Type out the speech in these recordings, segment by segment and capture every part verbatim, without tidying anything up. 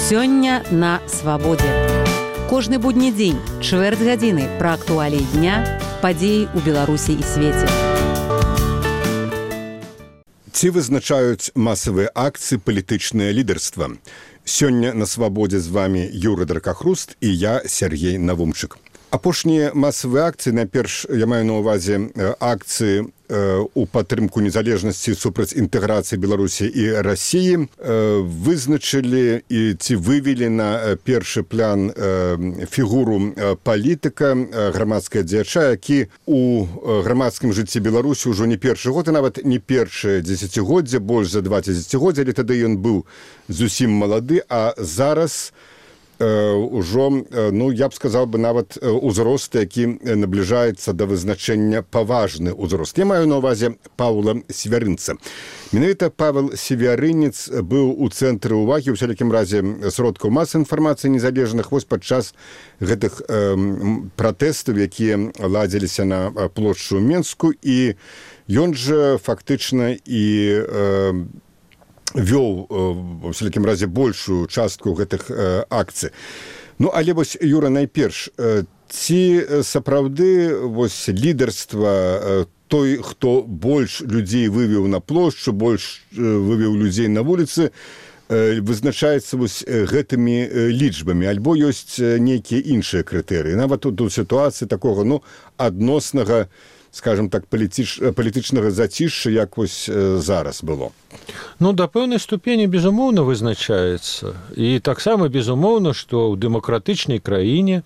Сёння на свабодзе. Кожны будні дзень, чвэрць гадзіны пра актуаліі дня, падзеі ў Беларусі і свеце. Ці вызначаюць масавыя акцыі палітычнае лідарства? Сёння на свабодзе з вами Юры Дракахруст і я, Сергей Навумчык. Апошнія масавыя акцыі, найперш я маю на ўвазе акцыі у падтрымку незалежнасці супраць інтэграцыі Беларусі і Расіі, вызначылі і ці вывелі на першы план фігуру палітыка, грамадскага дзеяча, які у грамадскім жыцці Беларусі ўжо не першы год, і нават не першае дзесяцігоддзе, больш за два дзесяцігоддзя, але тады ён быў зусім малады, а зараз ужо, ну, я б сказаў бы, нават узрост, які набліжаецца да вызначэння паважны ўзрост. Я маю на ўвазе Паўла Севярынца. Менавіта Павел Севярынец быў у цэнтры ўвагі, у всялякім разе, сродкаў масавай інфармацыі незалежных вось падчас гэтых э, пратэстаў, якія ладзіліся на плошчу Менску, і ён жа фактычна і э, вёў, у всякім разе, большую частку гэтых э, акцый. Ну, але вось, Юра, найперш, э, ці сапраўды вось лідарства э, той, хто больш людзей вывеў на плошчу, больш э, вывеў людзей на вуліцы, э, вызначаецца вось гэтымі э, лічбамі, альбо ёсць нейкія іншыя крытэрыі. Нават тут у сітуацыі такога, ну, адноснага, скажем так, палітыч, палітычнага зацішша, як вось э, зараз было. Ну, да пэўнай ступені, безумоўна, вызначаецца. І таксама, безумоўна, што ў дэмакратычнай краіне,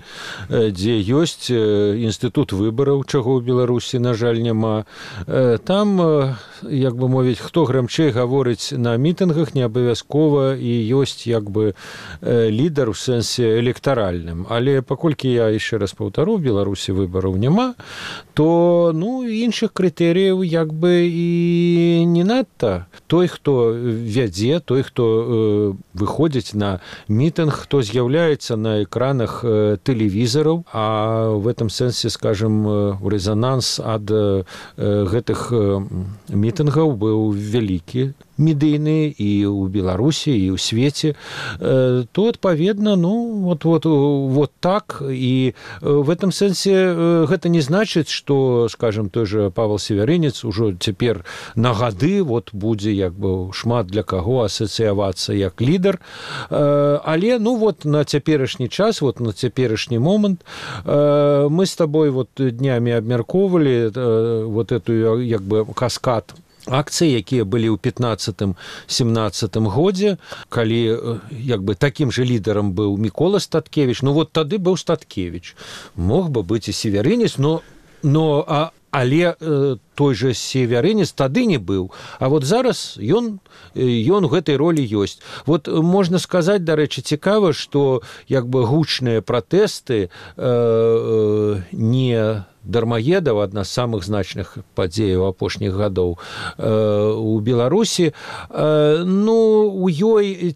дзе ёсць інстытут выбараў, чаго ў Беларусі, на жаль, няма, там, як бы мовіць, хто грамчэй гаворыць на мітынгах, не абавязкова і ёсць, як бы, лідар у сэнсе электаральным. Але паколькі я, яшчэ раз паўтару, у Беларусі выбараў няма, то, ну, іншых крытэрыяў, як бы, і не надта. Той, хто вядзе, той, хто э, выходзіць на мітынг, хто з'яўляецца на экранах э, тэлевізараў, а в этом сэнсе, скажем, э, рэзананс ад э, гэтых э, мітынгаў быў вялікі, медыйны і ў Беларусі, і ў свеце, э, то, адпаведна, ну, вот, вот, вот так, і в этом сэнсе э, гэта не значыць, што, скажем, той же Павел Севярынец ужо цяпер на гады вот будзе, як бы, шмат для каго асацыявацца як лідар, э, але, ну, вот на цяперашні час, вот на цяперашні момант э, мы з табой вот днямі абмяркоўвалі э, вот эту, як бы, каскад акцыі, якія былі ў пятнаццатым-семнаццатым годзе, калі, як бы, такім же лідарам быў Мікола Статкевіч, ну, вот тады быў Статкевіч. Мог бы быць і Севярынец, но, но а, але э, той же Севярынец тады не быў. А вот зараз ён, ён у гэтай ролі ёсць. Вот можна сказаць, дарэчы, цікава, што, як бы, гучныя пратэсты э, э, не дармаедаў, адна з самых значных падзеяў апошніх гадоў э, у Беларусі. Э, ну, у ёй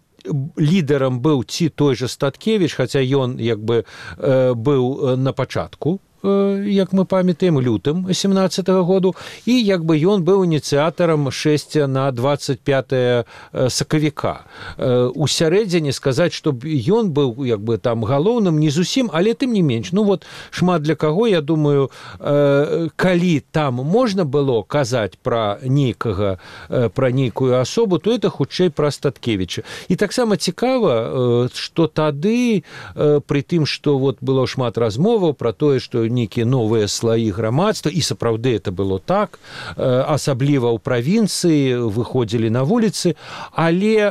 лідарам быў ці той же Статкевіч, хаця ён, як бы, э, быў на пачатку, як мы памятаем, лютым семнаццатага году, і, як бы, ён быў ініцыятарам шэсця на дваццаць пятае сакавіка. У сярэдзіне сказаць, што ён быў, як бы, там галоўным, не зусім, але тым не менш. Ну, вот, шмат для каго, я думаю, калі там можна было казаць пра нейкага, пра нейкую асобу, то это хутчэй пра Статкевіча. І таксама цікава, што тады, пры тым, што вот было шмат размоваў пра тое, што нейкія новыя слаі грамадства, і сапраўды это было так, асабліва ў правінцыі выходзілі на вуліцы, але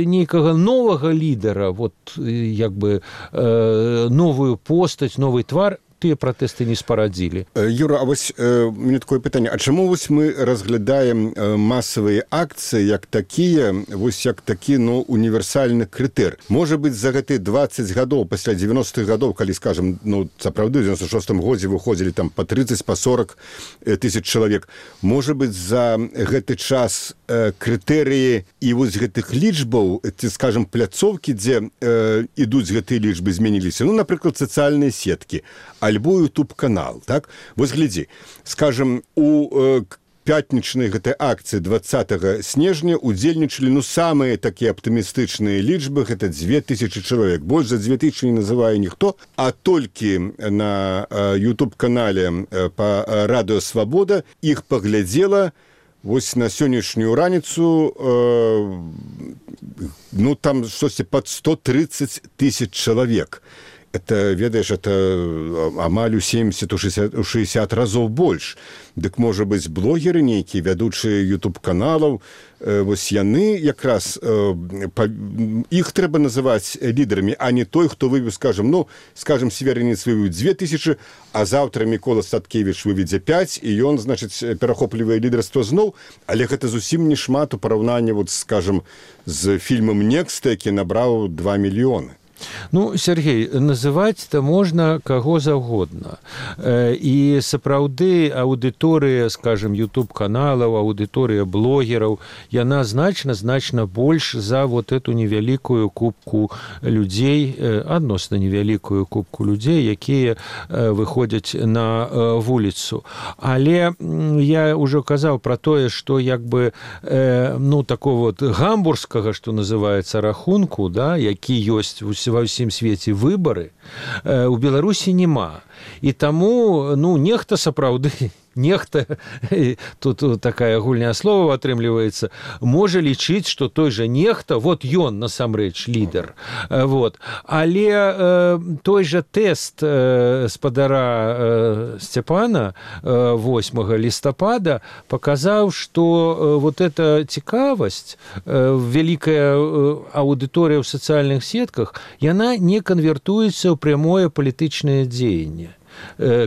нейкага новага лідара, вот, як бы, новую постаць, новы твар, тыя пратэсты не спарадзілі. Юра, а вось э, мне такое пытанне, а чаму вось мы разглядаем э, масавыя акцыі як такія, вось як такі, ну, універсальны крытэр? Можа быць, за гэты дваццаць гадоў, пасля дзевяностых гадоў, калі, скажем, ну, сапраўды, ў дзевяносто шостым годзе выходзілі там па трыццаць, па сорок тысяч чалавек, можа быць, за гэты час э, крытэрыі і вось гэтых лічбаў, ці, скажем, пляцоўкі, дзе э, ідуць гэтыя лічбы, змяніліся? Ну, напрыклад, сацыяльныя сеткі, альбо YouTube-канал, так? Вось глядзі, скажем, у э, пятнічнай гэтай акцыі двадцатага снежня удзельнічалі ну самыя такія аптымістычныя лічбы, гэта дзве тысячы чалавек. Больш за дзве тысячы не называе ніхто, а толькі на YouTube-канале па радыё Свабода іх паглядзела вось на сённяшнюю раніцу э, ну там штосьці пад сто тридцать тысяч чалавек. Это, ведаеш, это амаль у семьдесят шестьдесят разоў больш. Дык, можа быць, блогеры нейкія, вядучыя YouTube-каналаў, э, вось яны якраз, э, па, іх трэба называць лідарамі, а не той, хто вывеў, скажем, ну, скажем, Северинец вывеў дзве тысячы, а заўтра Мікола Статкевіч выведзе пяць, і ён, значыць, перахоплівае лідарства зноў, але гэта зусім не шмат у параўнанні, вот, скажем, з фільмам «Некста», які набраў два мільёны. Ну, Сергей, называць-то можна каго заўгодна. І сапраўды аўдыторыя, скажем, YouTube-каналаў, аўдыторыя блогераў, яна значна-значна больш за вот эту невялікую купку людзей, адносна невялікую купку людзей, якія выходзяць на вуліцу. Але я ўжо казаў пра тое, што як бы, ну, такого вот гамбургскага, што называецца, рахунку, да, які ёсць ва ўсім свеце выбары, у Беларусі няма. І таму, ну, нехта сапраўды, нехта, тут такая гульня слова атрымліваецца, можа лічыць, што той жа нехта, вот ён насамрэч лідар. Вот. Але э, той жа тэст э, спадара э, Сцяпана э, восьмага лістапада паказаў, што э, вот эта цікавасць, э, вялікая э, аўдыторыя ў сацыяльных сетках, яна не канвертуецца ў прямое палітычнае дзеянне.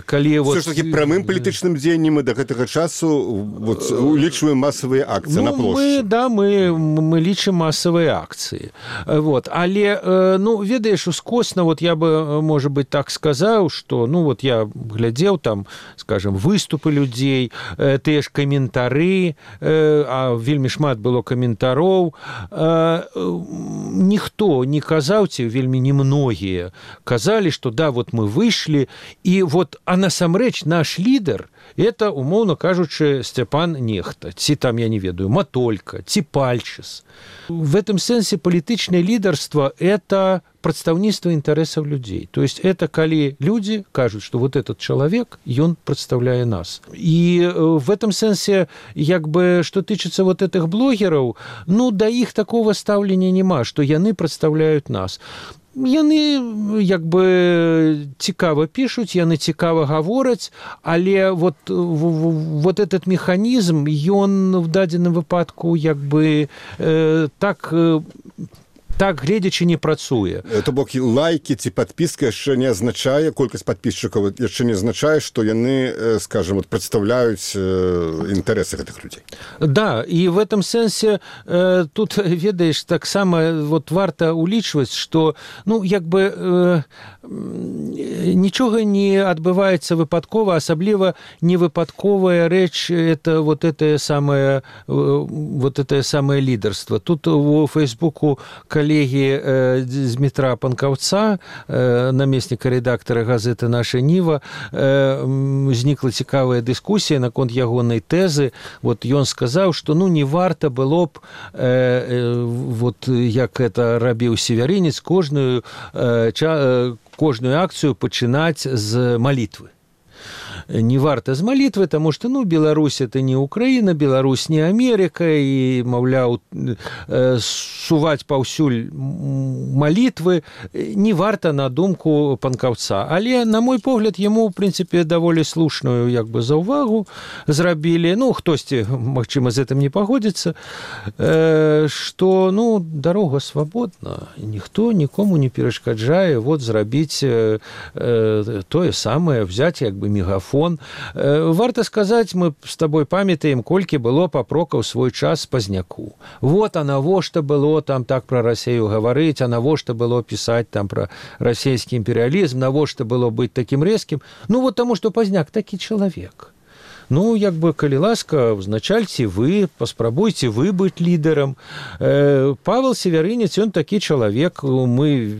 Калі вот... Все ж таки прамым палітычным дзеяннем мы до гэтага часу вот, улічваем масавыя акцыі ну, на плошчы. Мы, да, мы, мы лічым масавыя акцыі. Вот. Але, ну, ведаеш, ускосна, вот я бы, можа быть, так сказаў, што, ну, вот я глядзеў там, скажем, выступы людзей, тыя ж каментары, а вельмі шмат было каментароў. Ніхто не казаў, ці вельмі немногія казалі, што да, вот мы выйшлі, і вот, а насамрэч наш лідар это, умоўна кажучы, Сцяпан Нехта, ці там, я не ведаю, Матолька, ці Пальчыс. В этом сэнсе палітычнае лідарства это прадстаўніцтва інтарэсаў людзей. То есть это калі людзі кажуць, што вот этот чалавек, ён прадстаўляе нас. І в этом сэнсе, як бы, што тычыцца вот этих блогераў, ну, да іх такого стаўлення няма, што яны прадстаўляюць нас. Яны, як бы, цікава пішуць, яны цікава гавораць, але вот, вот этот механізм, ён в дадзеным выпадку, як бы, э, так... Э, так, гледзячы, не працуе. То бок лайкі ці падпіска яшчэ не азначае, колькасць падпісчыкаў яшчэ не азначае, што яны, скажем, вот, прадстаўляюць інтарэсы гэтых людзей. Да, і в этом сэнсе э, тут, ведаеш, таксама вот, варта улічваць, што, ну, як бы э, нічога не адбываецца выпадкова, асабліва невыпадковая рэч это вот это самае вот это самае лідарства. Тут у Фейсбуку калі коллеги э, Дмитра Панкаўца, э, намесніка рэдактара газеты «Наша Ніва», э, узнікла цікавая дыскусія наконт ягонай тэзы. Вот ён сказаў, што ну не варта было б э, э, вот як это рабіў Северинец, кожную э, ча, кожную акцыю пачынаць з малітвы. Не варта з малітвы, таму што, ну, Беларусь это не Украіна, Беларусь не Америка, і, маўляў, суваць паўсюль малітвы не варта на думку Панкаўца. Але, на мой погляд, яму, в прынцыпе, даволі слушную, як бы, заўвагу зрабілі. Ну, хтосьці, магчыма, з гэтым не пагодзіцца, што, ну, дарога свабодна, ніхто нікому не перашкаджае вот зрабіць тое самае, взять, як бы, мегафон. Варта сказаць, мы з табой памятаем, колькі было папрокаў свой час Пазняку. Вот, а навошта было там так пра Расею гаварыць, а навошта было пісаць там пра расійскі імперыялізм, навошта было быць такім рэзкім. Ну, вот таму, што Пазняк такі чалавек. Ну, як бы, калі ласка, узначальце вы, паспрабуйце вы быць лідарам. Павел Северинец, ён такі чалавек, мы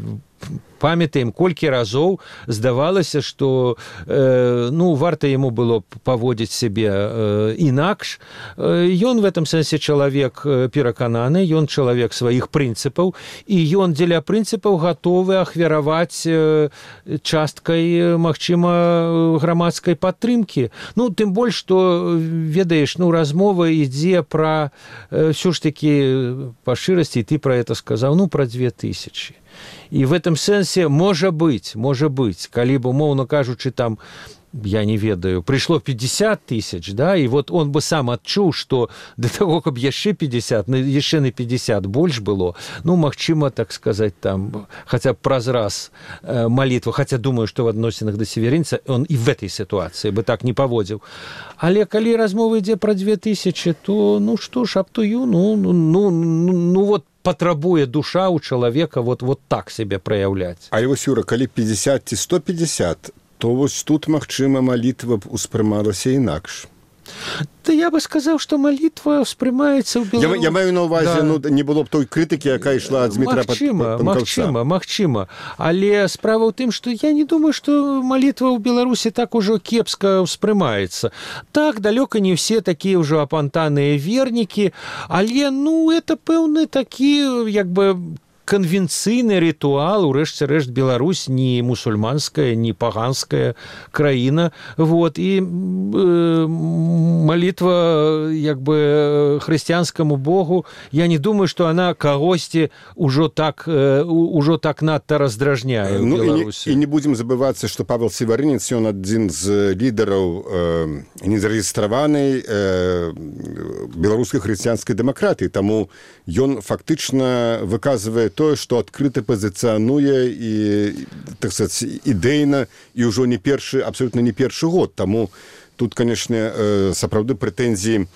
памятаем, колькі разоў здавалася, што э, ну, варта яму было паводзіць сябе э, інакш. Ён в этом сэнсе чалавек перакананы, ён чалавек сваіх прынцыпаў, і ён дзеля прынцыпаў гатовы ахвяраваць э, часткай, магчыма, грамадскай падтрымкі. Ну, тым больш, што, ведаеш, ну, размова ідзе пра, э, ўсё ж такі, па шчырасці, ты пра это сказаў, ну, пра две тысячи. І в этом сэнсе, можа быць, можа быць, калі б, умоўна кажучы, там, я не ведаю, прыйшло пятьдесят тысяч, да, і вот он бы сам адчуў, што да таго, каб яшчэ пятьдесят, яшчэ на пятьдесят больш было, ну, магчыма, так сказаць, там, хаця б праз раз э, малітва, хаця думаю, што в адносінах да северынца он і в этой сітуацыі бы так не паводзіў. Але калі размова ідзе пра две тысячи, то, ну, што ж, аптую, ну, ну, ну, ну, ну, вот, патрабуе душа ў чалавека вот, вот так себе праяўляць. А вось, Юра, калі пятьдесят ці сто пятьдесят, то вось тут, магчыма, малітва б успрымалася інакш. Да я бы сказаў, што малітва ўспрымаецца ў Беларусі. Я, я маю на ўвазе, да. Ну, не было б той крытыкі, якая ішла ад Дмітра Панкаўца. Магчыма, магчыма. Але справа ў тым, што я не думаю, што малітва ў Беларусі так ужо кепска ўспрымаецца. Так, далёка не ўсе такія ўжо апантаныя вернікі, але, ну, это пэўны такі, як бы, конвенцыйны рытуал, урэшце рэшт, Беларусь не мусульманская, не паганская краіна, вот, і э, малітва, як бы, хрысціянскаму Богу, я не думаю, што она кагосьці ўжо так, э, ўжо так надта раздражняе ў ну, Беларусі. І не, і не будзем забывацца, што Павел Севарынец, ён адзін з лідараў э, незарэгістраванай э, беларускай хрысціянскай дэмакратыі, таму ён фактычна выказвае тое, што адкрыта пазіцыянуе і, так сказаць, ідэйна і ўжо не першы, абсолютна не першы год. Таму тут, канешне, сапраўды прэтэнзіі,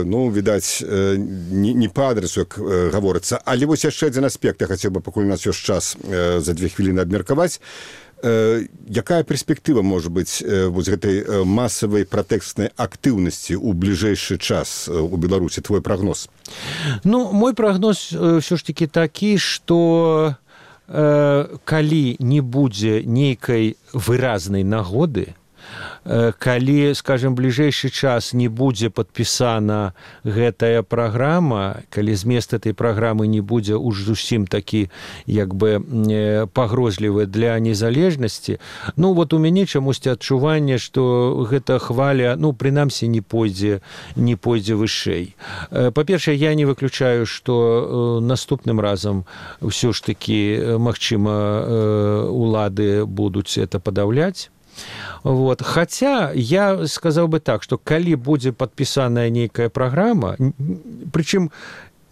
ну, відаць, не, не па адресу, як гаворыцца. Але вось яшчэ адзін аспект, я хацеў бы, пакуль у нас ёсць час за две хвіліны абмеркаваць. Якая перспектыва можа быць вось гэтай масавай пратэкстнай актыўнасці ў бліжэйшы час у Беларусі? Твой прагноз? Ну, мой прагноз ўсё ж такі такі, што э, калі не будзе нейкай выразнай нагоды, калі, скажем, бліжэйшы час не будзе падпісана гэтая праграма, калі змест этой праграмы не будзе уж зусім такі, як бы, пагрозлівы для незалежнасці, ну, вот у мяне чамусьці адчуванне, што гэта хваля, ну, прынамсі, не пойдзе, не пойдзе вышэй. Па-першае, я не выключаю, што наступным разам ўсё ж такі, магчыма, улады будуць это падаўляць. Вот. Хаця я сказаў бы так, што калі будзе падпісаная нейкая праграма, прычым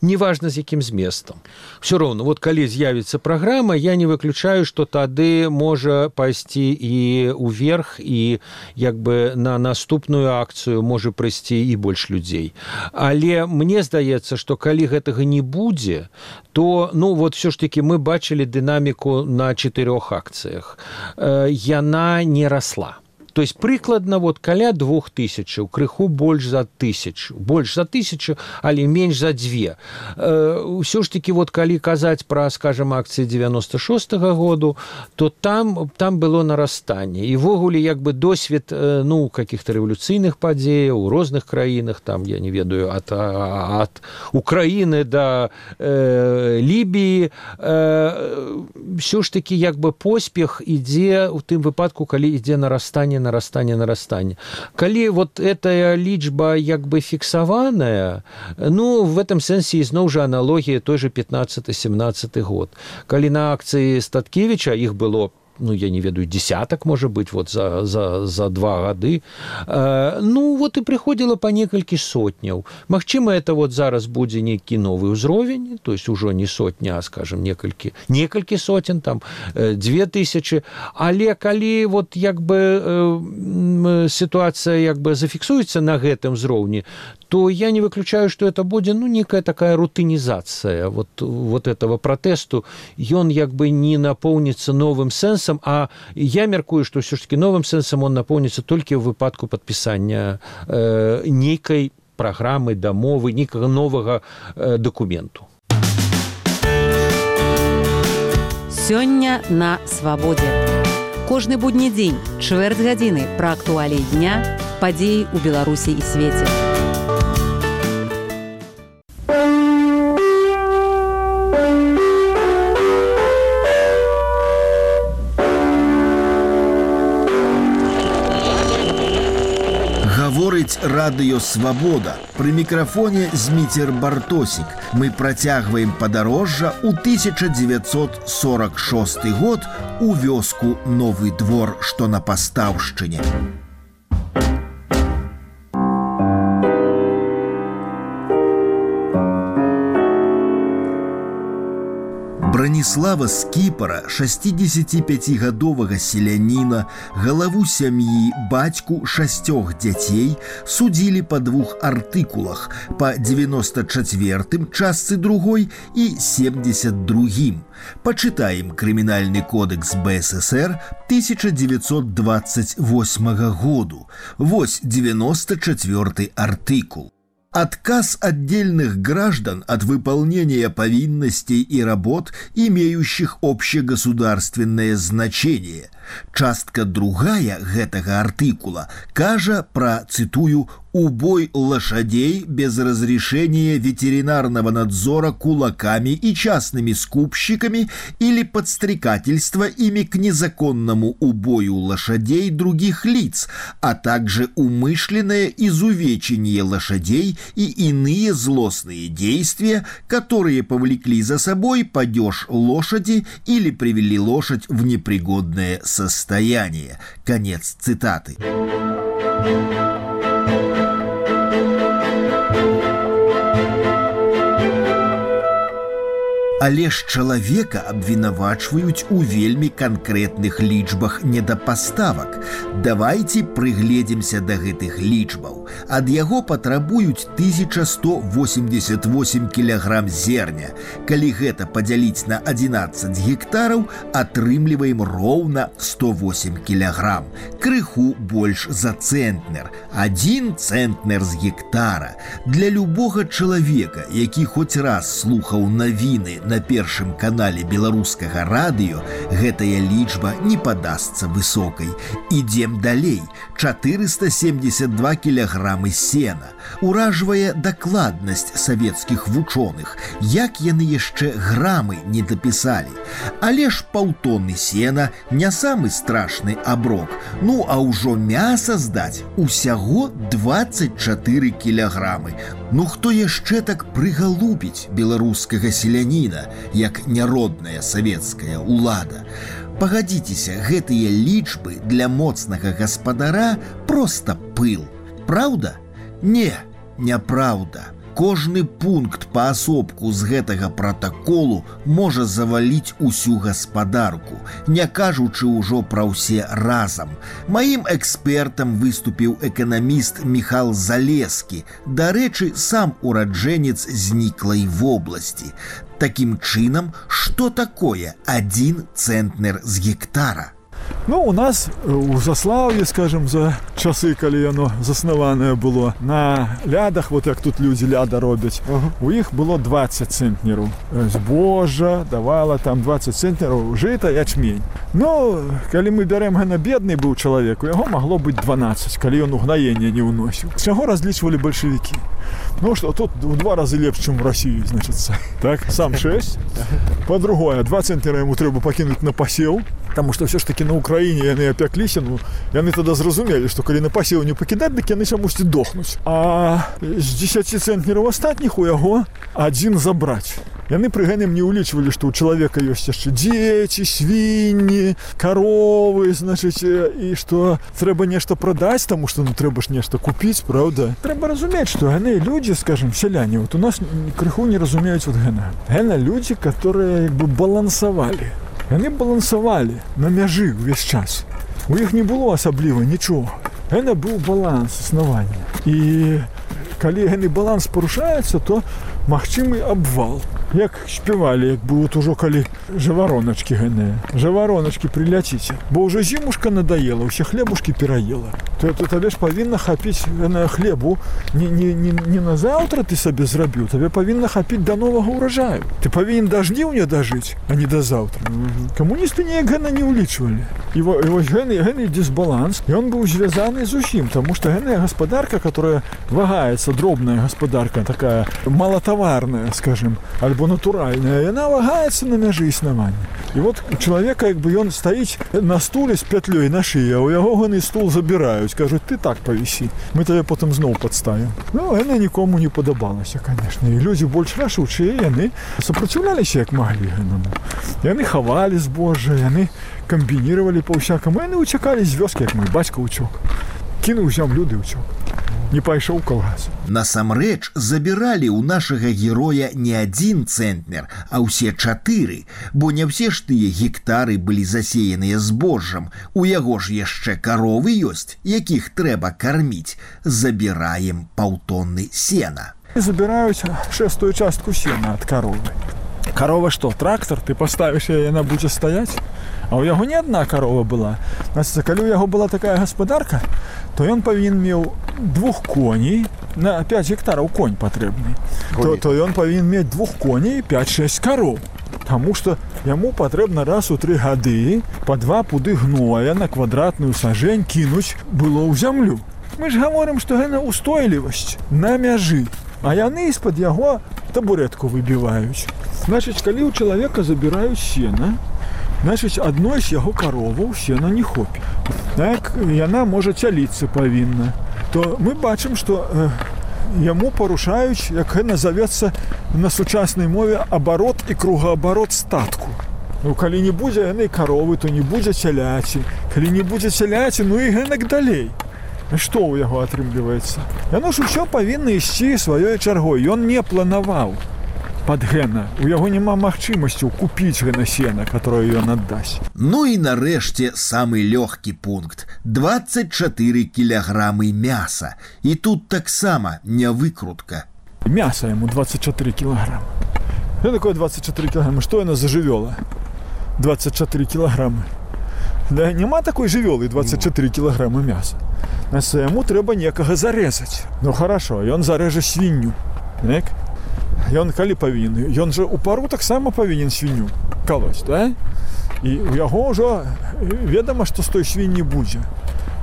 неважна з якім зместам. Все роўна, вот калі з'явіцца праграма, я не выключаю, што тады можа пайсці і ўверх, і як бы на наступную акцыю можа прыйсці і больш людзей. Але мне здаецца, што калі гэтага не будзе, то, ну, вот все ж таки мы бачылі дынаміку на чатырох акцыях. Яна не расла. То есть прыкладна вот каля двух тысячаў, крыху больш за тысячу, больш за тысячу, але менш за две. Ўсё ж таки вот калі казаць пра, скажем, акцыі девяносто шостага году, то там, там было нарастанне. І ввогуле, як бы, досвед, ну, каких-то рэвалюцыйных падзеяў у розных краінах, там, я не ведаю, ад, ад Украіны да э, Лібіі, э, ўсё ж таки, як бы, поспех ідзе ў тым выпадку, калі ідзе нарастанне, нарастанне, нарастанне. Калі вот эта лічба як бы фіксаваная, ну, в этом сэнсе ізноў жа аналогія той же пятнадцаты-семнадцаты год. Калі на акцыі Статкевіча іх было, ну, я не ведаю, десяток, может быть, вот за, за, за два гады, э, ну, вот и приходило по некалькі сотняў. Магчыма, это вот зараз будзе нейкі новый ўзровень, то есть ужо не сотня, а, скажем, некалькі, некалькі сотен, там, э, две тысячи, але калі вот, як бы, э, ситуация, як бы, зафіксуецца на гэтым ўзроўні, то я не выключаю, что это будет, ну, некая такая рутинизация вот, вот этого протесту. И он, как бы, не наполнится новым сенсом, а я меркую, что все-таки новым сенсом он наполнится только в выпадку подписания э, некой программы, дамовы, некого нового э, документу. Сёння на свабодзе. Кожны будні дзень, чвэрць гадзіны пра актуаліі дня, падзеі ў Беларусі і свеце. Гаворыць радыё «Свабода». Пры мікрафоне Зміцер Бартосік. Мы працягваем падарожжа ў тысяча дзевяцьсот сорок шосты год у вёску Новы Двор, што на Пастаўшчыне. Браніслава Скіпара, шасцідзесяціпяцігадовага селяніна, галаву сям'і, бацьку шасцёх дзяцей, судзілі па двух артыкулах, па дзевяноста чацвёртым частцы другой і семдзесят другім. Пачытаем крымінальны кодэкс бэ эс эсэр тысяча дзевяцьсот дваццаць восьмага году. Вось девяносто четвёртый артыкул. Отказ отдельных граждан от выполнения повинностей и работ, имеющих общегосударственное значение. Частка другая гэтага артыкула кажа про, цитую, «убой лошадей без разрешения ветеринарного надзора кулаками и частными скупщиками или подстрекательство ими к незаконному убою лошадей других лиц, а также умышленное изувечение лошадей и иные злостные действия, которые повлекли за собой падеж лошади или привели лошадь в непригодное состояние». Конец цитаты. Але ж чалавека абвінавачваюць у вельмі канкрэтных лічбах недапаставак. Давайце прыгледзімся да гэтых лічбаў. Ад яго патрабуюць тысяча сто восемьдесят восемь кілаграм зерня. Калі гэта падзяліць на адзінаццаць гектараў, атрымліваем роўна сто восемь кілаграм. Крыху больш за цэнтнер. Адзін цэнтнер з гектара. Для любога чалавека, які хоць раз слухаў навіны на першым канале беларускага радыё, гэтая лічба не падасца высокай. Ідзем далей. чатырыста семьдесят два кілаграмы сена. Уражвае дакладнасць савецкіх вучоных. Як яны яшчэ грамы не дапісалі. Але ж паўтоны сена не самы страшны аброк. Ну, а ўжо мяса здаць усяго двадцать чатыры кілаграмы. Ну, хто яшчэ так прыгалубіць беларускага селяніна, як няродная савецкая ўлада? Пагадзіцеся, гэтыя лічбы для моцнага гаспадара проста пыл. Праўда? Не, няпраўда. Кожны пункт паасобку з гэтага пратаколу можа заваліць усю гаспадарку, не кажучы ўжо пра ўсе разам. Маім экспертам выступіў эканаміст Міхал Залескі, дарэчы, сам ураджэнец зніклай вобласці. Такім чынам, што такое адзін цэнтнер з гектара? Ну, у нас у Заслаўі, скажем, за часы, калі яно заснаванае было, на лядах, вот як тут людзі ляда робяць, uh-huh. у іх было двадцать цэнтнераў. Збожжа давала там двадцать цэнтнераў, жыта, ячмень. Ну, калі мы бярем гэна бедны быў чалавек, у яго магло быць дванаццаць, калі ён угнаенне не ўносіў. З чаго разлічвалі бальшавікі? Ну, што тут у два разы лепш, чым у Расіі, значыцца. Так, сам шэсць. Па-другое, два цэнтнера яму трэба пакінуць на пасеў, таму што ўсё ж такі на Украіне яны апякліся, ну, яны тада зразумелі, што калі на пасеў не пакідаць, дык яны чамусьці дохнуць. А з дзесяці цэнтнераў астатніх у яго адзін забраць. Яны пры гэтым не ўлічвалі, што ў чалавека ёсць яшчэ дзеці, свінні, каровы, значыць, і што трэба нешта прадаць, таму што ну трэба ж нешта купіць, праўда? Трэба разумець, што яны людзі, скажем, сяляне, вот у нас крыху не разумеюць вот гэна. Гэна людзі, которые як бы балансавалі. Яны балансавалі на мяжы ўвесь час. У іх не было асабліва нічога. Гэна быў баланс існавання. І калі гэны баланс парушаецца, то магчымы абвал. Як спявалі, як бы вот ужо калі жавароначкі гэныя. Жавароначкі, прыляціце. Бо ўжо зімушка надаела, усе хлебушкі пераела. то, то табе ж павінна хапіць на хлебу не, не, не, не на заўтра ты сабе зрабіў, табе павінна хапіць да новага ўраджаю. Ты павінен да жніўня дажыць, а не да заўтра. Mm-hmm. Камуністы неяк гэна не ўлічвалі. І, во, і вось гэны, гэны дисбаланс, ён быў звязаны з усім, таму што гэная гаспадарка, которая вагаецца, дробная гаспадарка, такая малатаварная, скажем, альбо натуральная, яна вагаецца на мяжы існавання. І вот у чалавека, як бы ён стаіць на стуле з пятлёй на шыі, а ў яго гэны стул забіраюць, кажуць, ты так павісі, мы табе потым зноў падставім. Ну, яна нікому не падабалася, конечно. І людзі больш рашучыя, яны супраціўляліся, як маглі гэнаму. Яны хавалі збожжа, яны камбінировали па-усякаму, яны уцякалі з вёскі, як мой бацька ўцёк. Кінуў зямлю ды ўцёк. Не пайшоў калгас. Насамрэч, забіралі ў нашага героя не адзін цэнтнер, а ўсе чатыры, бо не ўсе ж тыя гектары былі засеяныя збожжам. У яго ж яшчэ каровы ёсць, якіх трэба карміць. Забіраем паўтонны сена. Забіраюць шэстую частку сена ад каровы. Карова што, трактор? Ты паставіш яе, яна будзе стаяць? А ў яго не адна карова была. Значит, калі ў яго была такая гаспадарка, то ён павінен меў двух коней, на пяць гектараў конь патрэбны. То, то ён павінен мець двух коней і пяць-шэсць кароў. Таму што яму патрэбна раз у тры гады па два пуды гноя на квадратную сажень кінуць было ў зямлю. Мы ж гаворым, што гэта устойлівасць на мяжы, а яны з-пад яго табуретку выбіваюць. Значыць, калі ў чалавека забіраюць сена, значыць, адной з яго кароваў сена не хопіць. Так, яна можа цяліцца павінна. То мы бачым, што э, яму парушаюць, як гэта назавецца на сучаснай мове, абарот і кругаабарот статку. Ну, калі не будзе яны каровы, то не будзе цяляці. Калі не будзе цяляці, ну і гэтак далей. Што ў яго атрымліваецца? Яно ж усё павінна ісці сваёй чаргой. Ён не планаваў пад гэна. У яго няма магчымасцяў купіць гэна сена, которое ён аддасць. Ну і нарэшце самы лёгкі пункт. дваццаць чатыры кілаграмы мяса. І тут таксама не выкрутка. Мяса яму дваццаць чатыры кілаграмы. Што такое дваццаць чатыры кілаграмы? Што яна за жывёла? дваццаць чатыры кілаграмы. Да няма такой жывёлы дваццаць чатыры кілаграмы мяса. Значит, яму трэба некага зарэзаць. Ну хорошо, ён зарэжа свінню. Так? Ён калі павінен? Ён жа у пару таксама павінен свінню калоць, да? І у яго ўжо ведама, што з той свінні будзе.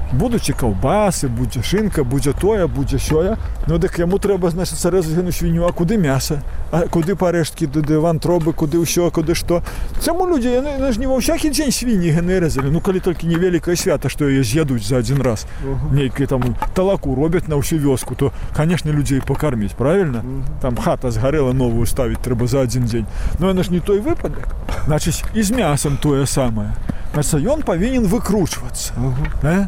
Будуць і каўбасы, будзе шынка, будзе тое, будзе сёе. Ну дык яму трэба, значыць, зарэзаць гэну свінню, а куды мяса? А куды парэшткі, куды вантробы, куды ўсё, куды што? Чаму людзі, яны, яны ж не ва ўсякі дзень свінні гэны рэзалі. Ну калі толькі невялікае свята, што яе з'ядуць за адзін раз. Uh-huh. Нейкае там талаку робяць на ўсю вёску, то, канешне, людзей пакарміць, правільна? Uh-huh. Там хата згарэла, новую ставіць трэба за адзін дзень. Ну яна ж не той выпадак. Значыць, і з мясам тое самае. Значыць, ён павінен выкручвацца. Uh-huh. э?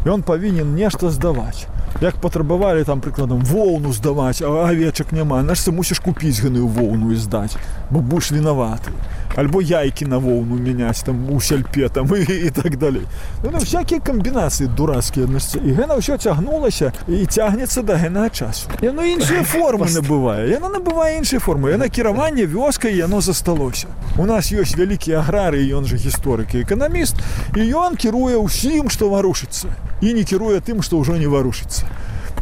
Ён павінен нешта здаваць. Як патрабавалі там, прыкладам, воўну здаваць, а авечак няма, наш ты мусіш купіць гэную воўну і здаць, бо будзеш вінаваты. Альбо яйкі на воўну мяняць там у сяльпе там і, і так далей. Ну, всякія камбінацыі дурацкія. І гэта ўсё цягнулася і цягнецца да гэтага часу. Яно іншыя формы набывае. Яно набывае іншыя формы. Яно кіраванне вёскай, яно засталося. У нас ёсць вялікі аграрый, ён жа гісторык і эканаміст, і ён кіруе ўсім, што варушыцца. І не кіруе тым, што ўжо не варушыцца.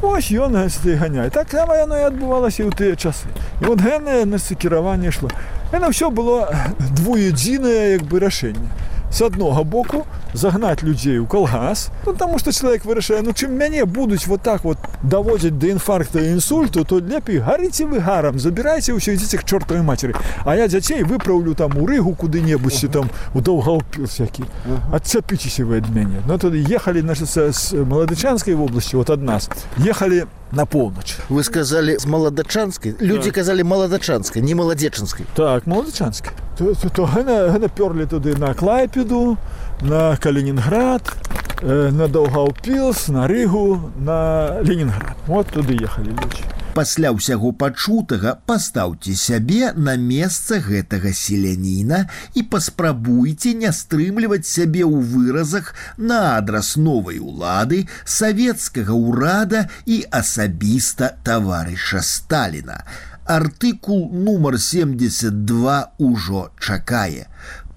Ось ён ганяе. Так само яно і адбывалася і ў тыя часы. І от гэтае кіраванне шло. Яно ўсё было двуедзінае, як бы, рашэнне. С аднога боку загнаць людзей у калгас, ну, таму што чалавек вырашае, ну чым мяне будуць вот так вот даводзіць да інфаркта і інсульту, то лепей гарыце вы гарам, забірайце ўсё, ідзіце к чортавай мацеры. А я дзяцей выпраўлю там у Рыгу куды-небудзь, uh-huh. там у Даўгаўпіл всякі. Uh-huh. Адцапіцеся вы ад мяне. Ну тады ехалі, значит, з Маладычанскай вобласці, вот ад нас, ехалі на поўнач. Вы сказали з Маладачанскай? Людзі так. казалі Маладачанскай, не Маладзечанскай. Так, Маладачанскай. То, то, то гэна, гэна пёрлі туды на Клайпеду, на Калининград, э, на Даўгаўпілс, на Рыгу, на Ленінград. Вот туды ехалі людзі. Пасля ўсяго пачутага пастаўце сябе на месца гэтага селяніна і паспрабуйце не стрымліваць сябе ў выразах на адрас новай улады, савецкага ўрада і асабіста таварыша Сталіна. Артыкул нумар семьдесят два ўжо чакае.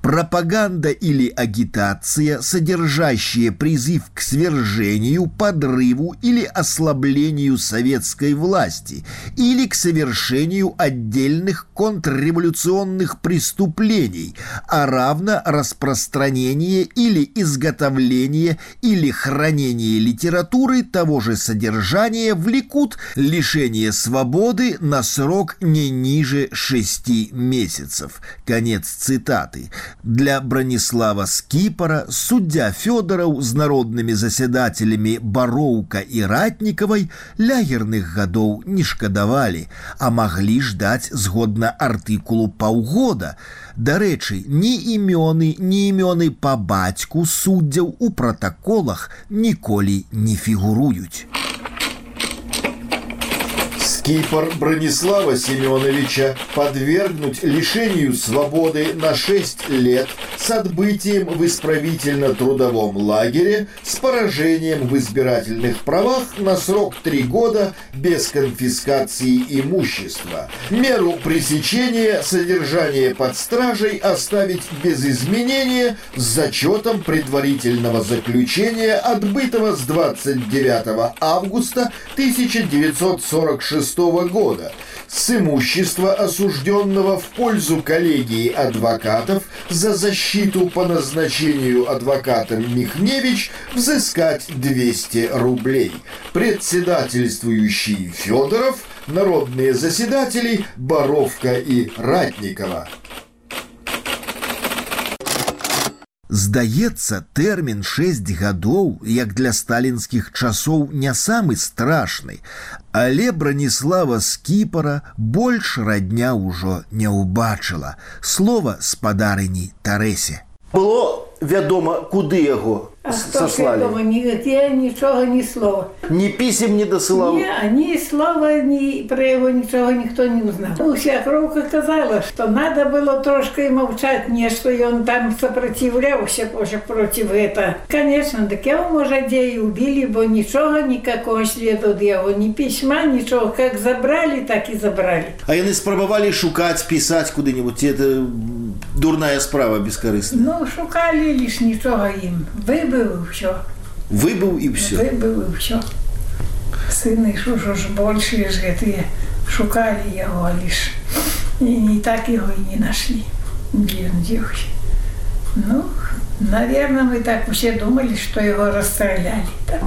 пропаганда или агитация, содержащая призыв к свержению, подрыву или ослаблению советской власти или к совершению отдельных контрреволюционных преступлений, а равно распространение или изготовление или хранение литературы того же содержания влекут лишение свободы на срок не ниже шести месяцев. Конец цитаты. Для Бранислава Скипара суддя Фёдораў з народнымі засядателями Бароўка і Ратнікавай лягерных гадоў не шкадавалі, а маглі ждаць згодна артыкулу паўгода. Дарэчы, ні імёны, ні імёны па бацьку суддзяў у пратаколах ніколі не фігуруюць. Скипар Бронислава Семеновича подвергнуть лишению свободы на шесть лет с отбытием в исправительно-трудовом лагере с поражением в избирательных правах на срок три года без конфискации имущества. Меру пресечения содержания под стражей оставить без изменения с зачетом предварительного заключения, отбытого с двадцать девятого августа тысяча девятьсот сорок шестого года, с имущества осужденного в пользу коллегии адвокатов за защиту по назначению адвокатом Михневич взыскать двести рублей. Председательствующий Федоров, народные заседатели Боровка и Ратникова. Здаецца, тэрмін шэсць гадоў, як для сталінскіх часоў, не самы страшны, але Бранислава Скипара больш радня ўжо не ўбачыла. Слова спадарыні Тарэсе. Было вядома, куды яго сослали? Вядома, нігде нічога, ні слова. Ні пісем не досылаў? Ні, ні слова, ні про яго нічога ніхто не узнал. Уся кроўка казала, што надо было трошки маўчаць нешта, і он там сопротивляўся против этого. Конечно, так яго, можа, дзе і убили, бо нічога, никакого следу ад яго, ні пісьма, нічога. Как забрали, так и забрали. А яны спрабавалі шукаць, пісаць куды-нибудь? Это дурная справа, бескарысная. Ну, шукали лишь нічога ім. Выбыл и все. Выбыл и все? Выбыл и все. Сыны ж ужо ж большие ж гэтые шукали его лишь. И не так его и не нашли. Где он делся? Ну, наверное, мы так все думали, что его расстреляли. Да?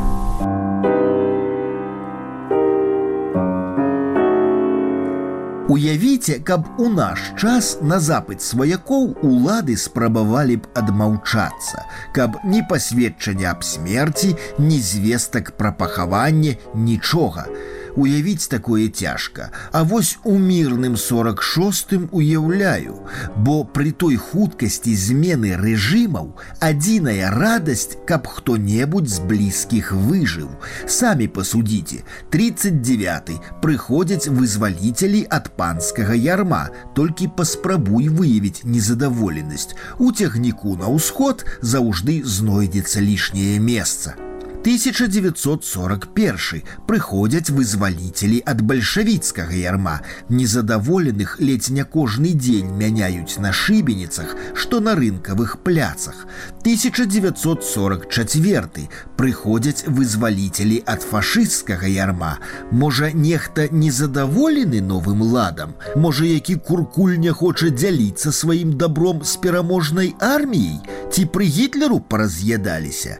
Уявіце, каб у наш час на запыт сваякоў улады спрабавалі б адмаўчацца, каб ні пасведчання аб смерці, ні звестак пра пахаванне, нічога. Уявіць такое цяжка, а вось у мірным сорок шостым уяўляю, бо пры той хуткасці змены рэжымаў адзіная радасць, каб хто-небудзь з блізкіх выжыў. Самі пасудзіце, тридцать девяты прыходзяць вызваліцелі ад панскага ярма, толькі паспрабуй выявіць незадаволенасць. У цягніку на ўсход заўжды знойдзецца лішняе месца. тысяча девятьсот сорок первый прыходзяць вызваліцелі ад бальшавіцкага ярма. Незадаволеных ледзь не кожны дзень мяняюць на шыбеніцах, што на рынкавых пляцах. тысяча девятьсот сорок четвёртый прыходзяць вызваліцелі ад фашысцкага ярма. Можа, нехта незадаволены новым ладам? Можа, які куркуль не хоча дзяліцца сваім добром з пераможнай арміяй? Ці пры Гітлеру параз'ядаліся?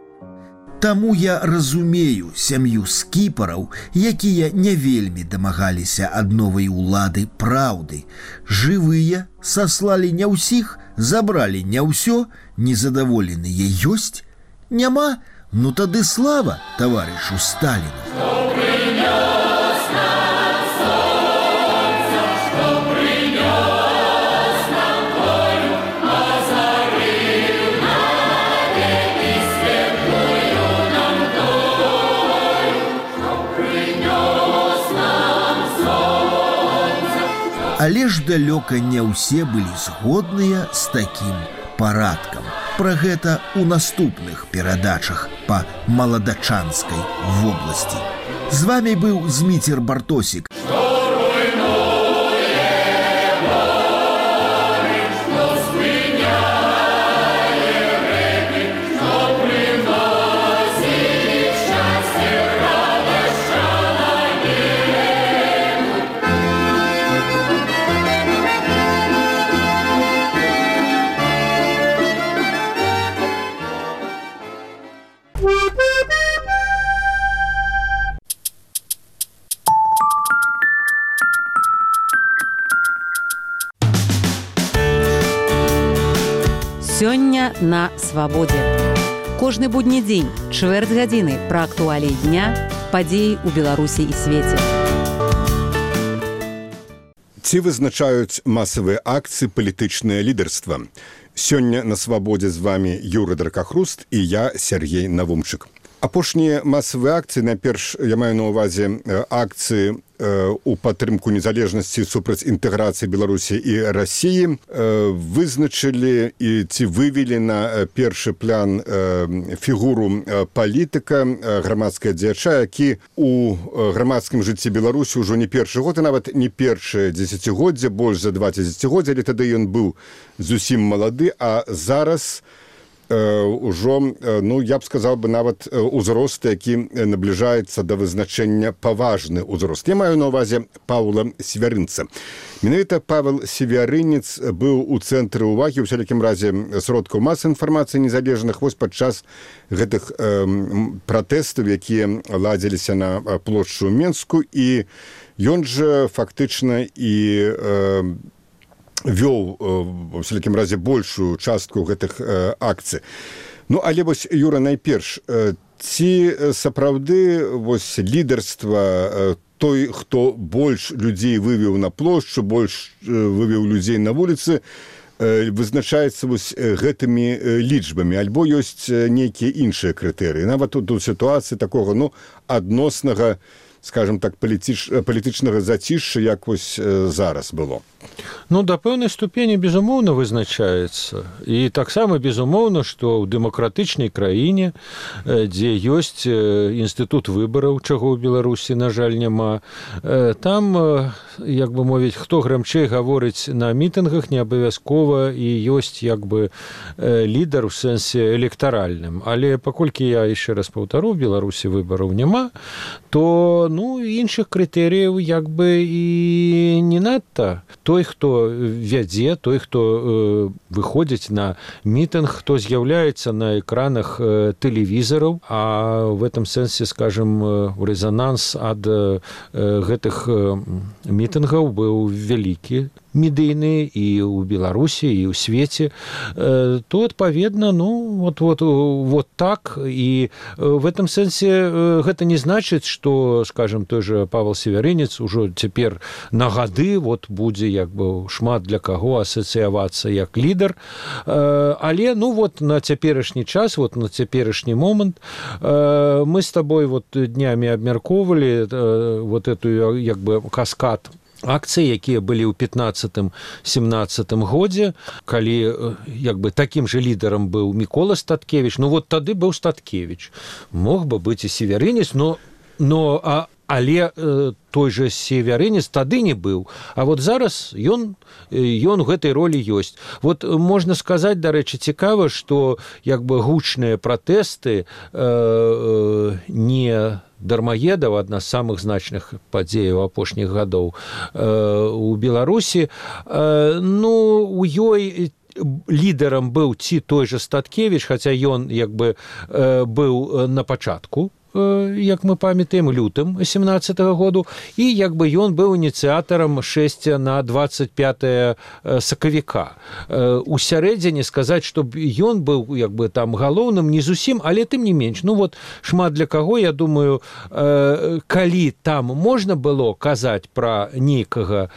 Таму я разумею сям'ю скіпараў, якія не вельмі дамагаліся ад новай улады праўды. Жывыя саслалі не ўсіх, забралі не ўсё, незадаволеныя ёсць? Няма? Ну тады слава таварышу Сталіну. Але ж далёка не ўсе былі згодныя з такім парадкам. Пра гэта ў наступных перадачах па маладачанскай вобласці. З вами быў Зміцер Бартосік. Сёння на свабодзе. Кожны будні дзень, чвэрць гадзіны пра актуаліі дня, падзеі ў Беларусі і свеце. Ці вызначаюць масавыя акцыі палітычнае лідарства? Сёння на свабодзе з вами Юры Дракахруст і я, Сергей Навумчык. Апошнія масавыя акцыі, найперш я маю на ўвазе акцыі у падтрымку незалежнасці супраць інтэграцыі Беларусі і Расіі, вызначылі і ці вывелі на першы план фігуру палітыка, грамадскага дзеяча, які у грамадскім жыцці Беларусі ўжо не першы год, і нават не першае дзесяцігоддзе, больш за два дзесяцігоддзя, але тады ён быў зусім малады, а зараз ўжо, ну, я б сказаў бы, нават узрост, які набліжаецца да вызначэння паважны ўзрост. Я маю на ўвазе Паўла Севярынца. Менавіта Павел Севярынец быў у цэнтры ўвагі, у всякім разе, сродкаў масы інфармацыі незалежных, вось падчас гэтых э, пратэстаў, якія ладзіліся на плошчу Менску, і ён жа фактычна і э, вёў, у всякім разе, большую частку гэтых э, акцый. Ну, але вось, Юра, найперш, э, ці сапраўды вось лідарства э, той, хто больш людзей вывеў на плошчу, больш э, вывеў людзей на вуліцы, э, вызначаецца вось гэтымі лічбамі, альбо ёсць нейкія іншыя крытэрыі. Нават тут у сітуацыі такога, ну, адноснага, скажем так, палітыч, палітычнага зацішша, як вось зараз было. Ну, да пэўнай ступені, безумоўна, вызначаецца. І таксама, безумоўна, што ў дэмакратычнай краіне, дзе ёсць інстытут выбараў, чаго ў Беларусі, на жаль, няма, там, як бы мовіць, хто грамчэй гаворыць на мітынгах, не абавязкова і ёсць, як бы, лідар у сэнсе электаральным. Але паколькі я, яшчэ раз паўтару, ў Беларусі выбараў няма, то, ну, іншых крытэрыяў, як бы, і не надта. Той, хто вядзе, той, хто э, выходзіць на мітынг, хто з'яўляецца на экранах э, тэлевізараў, а в этом сэнсе, скажем, э, рэзананс ад э, гэтых э, мітынгаў быў вялікі, медыйны і ў Беларусі, і ў свеце, э, то, адпаведна, ну, вот, вот, вот так, і в этом сэнсе э, гэта не значыць, што, скажем, той же Павел Севярынец ужо цяпер на гады вот будзе, як бы, шмат для каго асацыявацца як лідар, э, але, ну, вот на цяперашні час, вот на цяперашні момант э, мы з табой вот днямі абмяркоўвалі э, вот эту, як бы, каскад акцыі, якія былі ў пятнаццатым-семнаццатым годзе, калі, як бы, такім же лідарам быў Мікола Статкевіч, ну вот тады быў Статкевіч. Мог бы быць і Севярынец, но, но а, але э, той же Севярынец тады не быў. А вот зараз ён, ён у гэтай ролі ёсць. Вот можна сказаць, дарэчы, цікава, што, як бы, гучныя пратэсты э, э, не дармаедаў, адна з самых значных падзеяў апошніх гадоў э, у Беларусі. Э, ну, у ёй лідарам быў ці той же Статкевіч, хаця ён, як бы, э, быў на пачатку, як мы памятаем, лютым семнаццатага году, і, як бы, ён быў ініцыятарам шэсця на дваццаць пятае сакавіка. У сярэдзіне сказаць, што ён быў, як бы, там галоўным, не зусім, але тым не менш. Ну, вот, шмат для каго, я думаю, калі там можна было казаць пра нейкага,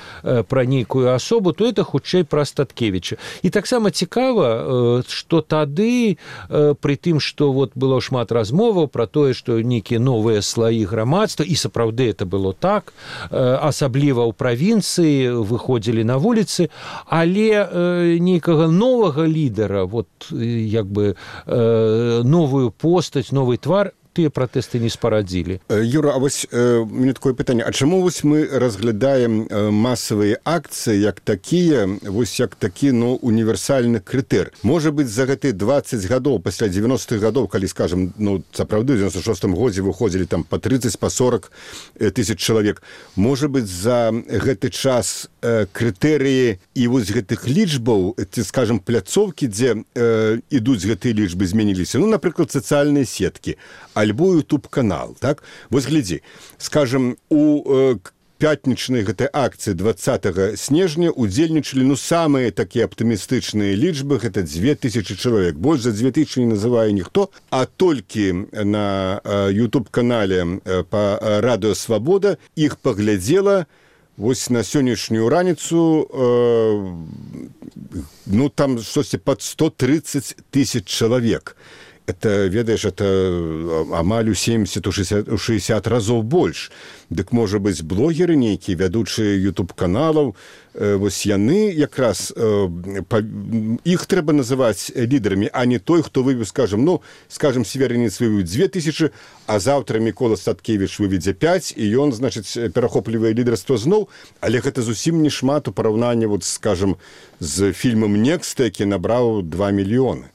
пра нейкую асобу, то это хутчэй пра Статкевіча. І таксама цікава, што тады, пры тым, што вот было шмат размоваў пра тое, што нейкія новыя слаі грамадства, і сапраўды это было так, асабліва ў правінцыі выходзілі на вуліцы, але нейкага новага лідара, вот, як бы, новую постаць, новый твар, тыя пратэсты не спарадзілі. Юра, а вось э, мне такое пытанне, а чаму вось мы разглядаем э, масавыя акцыі як такія, вось як такі, ну, універсальны крытэр? Можа быць, за гэтыя дваццаць гадоў, пасля дзевяностых гадоў, калі, скажем, ну, сапраўды, ў дзевяноста шостым годзе выходзілі там па трыццаць, па сорак тысяч чалавек, можа быць, за гэты час э, крытэрыі і вось гэтых лічбаў, ці, скажем, пляцоўкі, дзе э, ідуць гэтыя лічбы, змяніліся? Ну, напрыклад, сацыяльныя сеткі, альбо YouTube-канал, так? Вось глядзі, скажем, у э, пятнічнай гэтай акцыі двадцатага снежня удзельнічалі ну самыя такія аптымістычныя лічбы, гэта дзве тысячы чалавек. Больш за дзве тысячы не называе ніхто, а толькі на YouTube-канале па радыё Свабода іх паглядзела вось на сённяшнюю раніцу э, ну там штосьці пад сто тридцать тысяч чалавек. Это, ведаеш, это амаль у семьдесят шестьдесят разоў больш. Дык, можа быць, блогеры нейкія, вядучыя YouTube-каналаў, э, вось яны якраз, э, па, іх трэба называць лідарамі, а не той, хто вывеў, скажем, ну, скажем, Северинец вывеў дзве тысячы, а заўтра Мікола Статкевіч выведзе пяць, і ён, значыць, перахоплівае лідарства зноў, але гэта зусім не шмат у параўнанні, вот, скажем, з фільмам «Некста», які набраў два мільёны.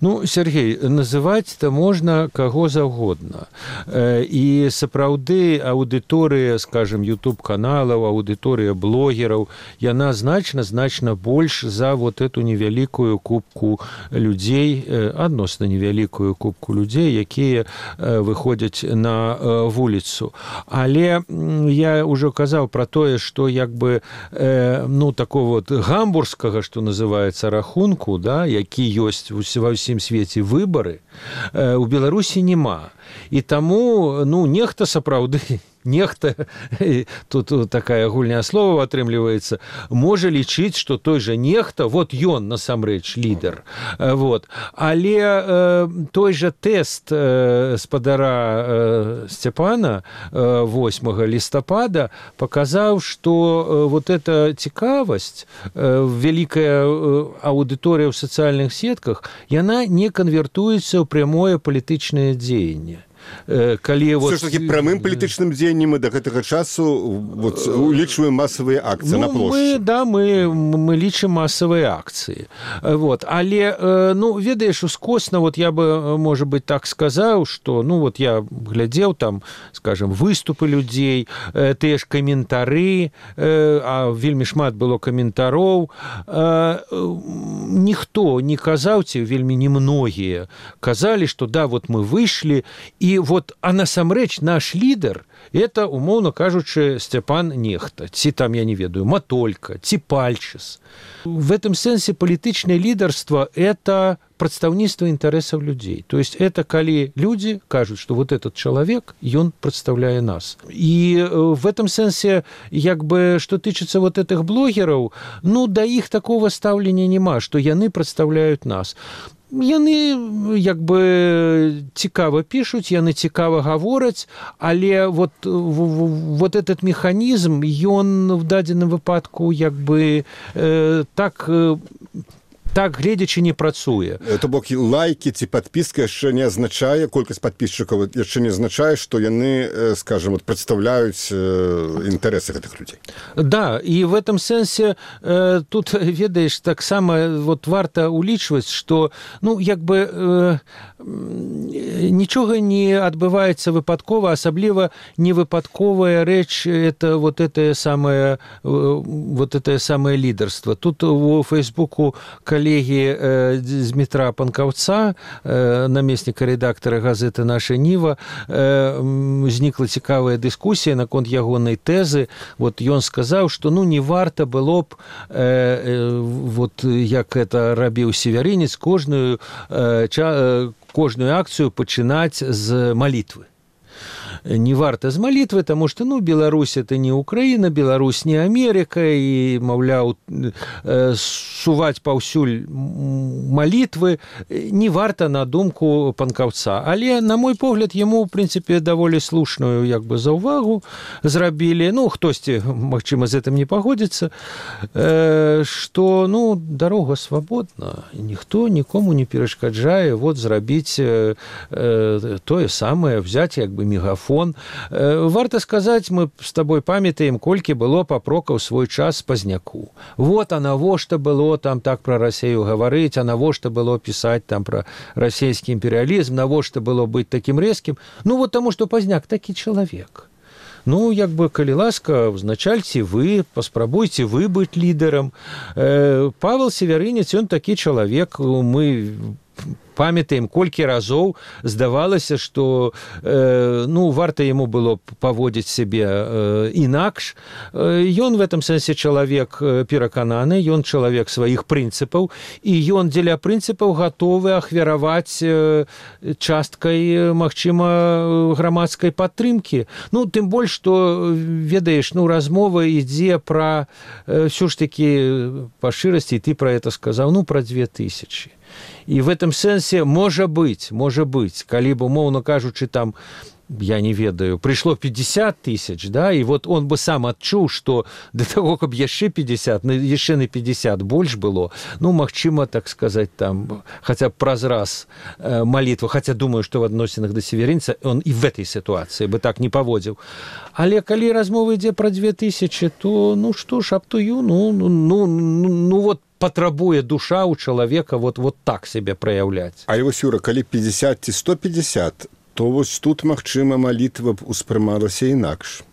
Ну, Сергей, называць-то можна каго заўгодна. І сапраўды аўдыторыя, скажем, YouTube-каналаў, аўдыторыя блогераў, яна значна-значна больш за вот эту невялікую купку людзей, адносна невялікую купку людзей, якія выходзяць на вуліцу. Але я ўжо казаў пра тое, што як бы, ну, такого вот гамбургскага, што называецца, рахунку, да, які ёсць ва ўсім свеце выбары, у Беларусі няма. І таму, ну, нехта сапраўды, нехта, тут такая агульная слова атрымліваецца, можа лічыць, што той жа нехта, вот ён насамрэч лідар. Вот. Але э, той жа тэст э, спадара э, Сцяпана э, восьмага лістапада паказаў, што э, вот эта цікавасць, э, вялікая э, аўдыторыя ў сацыяльных сетках, яна не канвертуецца ў прямое палітычнае дзеянне. Калі вот... Все ж таки прамым палітычным дзеяннем мы до гэтага часу вот, улічваем масавыя акцыі ну, на плошчы. Мы, да, мы, мы лічым масавыя акцыі. Вот. Але, ну, ведаеш, ускосна, вот я бы, может быть, так сказаў, што, ну, вот я глядзеў там, скажем, выступы людзей, тыя ж каментары, а вельмі шмат было каментароў. Ніхто не казаў, ці вельмі немногія казалі, што да, вот мы выйшлі, і вот, а насамрэч наш лідар это, умоўна кажучы, Сцяпан Нехта, ці там, я не ведаю, Матолька, ці Пальчыс. В этом сэнсе палітычнае лідарства это прадстаўніцтва інтарэсаў людзей. То есть это калі людзі кажуць, што вот этот чалавек, ён прадстаўляе нас. І в этом сэнсе, як бы, што тычыцца вот этих блогераў, ну, да іх такого стаўлення няма, што яны прадстаўляюць нас. Яны, як бы, цікава пішуць, яны цікава гавораць, але вот, вот этот механізм, ён в дадзеным выпадку, як бы, э, так... Э, так, гледзячы, не працуе. То бок лайкі ці падпіска яшчэ не азначае, колькасць падпісчыкаў яшчэ не азначае, што яны, скажем, вот, прадстаўляюць інтарэсы гэтых людзей. Да, і в этом сэнсе э, тут, ведаеш, таксама вот, варта улічваць, што, ну, як бы э, нічога не адбываецца выпадкова, асабліва не выпадковая рэч, это вот это самае, вот это самае лідарства. Тут у Фейсбуку коллеги э, Дмітра Панкаўца, э, намесніка рэдактара газеты «Наша Ніва», э, узнікла цікавая дыскусія наконт ягонай тэзы. Вот ён сказаў, што ну не варта было б, э, э, вот як это рабіў Северинец, кожную, э, ча, кожную акцыю пачынаць з малітвы. Не варта з малітвы, таму што, ну, Беларусь это не Украіна, Беларусь не Америка, і, маўляў, суваць паўсюль малітвы не варта на думку Панкаўца. Але, на мой погляд, яму, в прынцыпе, даволі слушную, як бы, заўвагу зрабілі. Ну, хтосьці, магчыма, з гэтым не пагодзіцца, што, ну, дарога свабодна, ніхто нікому не перашкаджае вот зрабіць тое самае, взять, як бы, мегафон. Варта сказаць, мы з табой памятаем, колькі было папрокаў свой час Пазняку. Вот, а навошта было там так пра Расею гаварыць, а навошта было пісаць там пра расійскі імперыялізм, навошта было быць такім рэзкім. Ну, вот таму, што Пазняк такі чалавек. Ну, як бы, калі ласка, узначальце вы, паспрабуйце вы быць лідарам. Павел Северинец, ён такі чалавек, мы памятаем, колькі разоў здавалася, што э, ну, варта яму было паводзіць сябе э, інакш. Э, ён в этом сэнсе чалавек перакананы, ён чалавек сваіх прынцыпаў, і ён дзеля прынцыпаў гатовы ахвяраваць э, часткай, магчыма, грамадскай падтрымкі. Ну, тым больш, што, ведаеш, ну, размова ідзе пра, э, ўсё ж такі, па шчырасці, ты пра это сказаў, ну, пра две тысячи. І в этом сэнсе, можа быць, можа быць, калі б, умоўна кажучы, там, я не ведаю, прыйшло пятьдесят тысяч, да, і вот он бы сам адчуў, што да таго, каб яшчэ пятьдесят, яшчэ на пятьдесят больш было, ну, магчыма, так сказаць, там, хаця б праз раз э, малітва, хаця думаю, што в адносінах да северинца он і в этой сітуацыі бы так не паводзіў. Але калі размова ідзе пра две тысячи, то, ну, што ж, аптую, ну, ну, ну, ну, ну, вот, патрабуе душа ў чалавека вот, вот так себе праяўляць. Але вось, Юра, калі пятьдесят ці сто пятьдесят, то вось тут, магчыма, малітва б успрымалася інакш.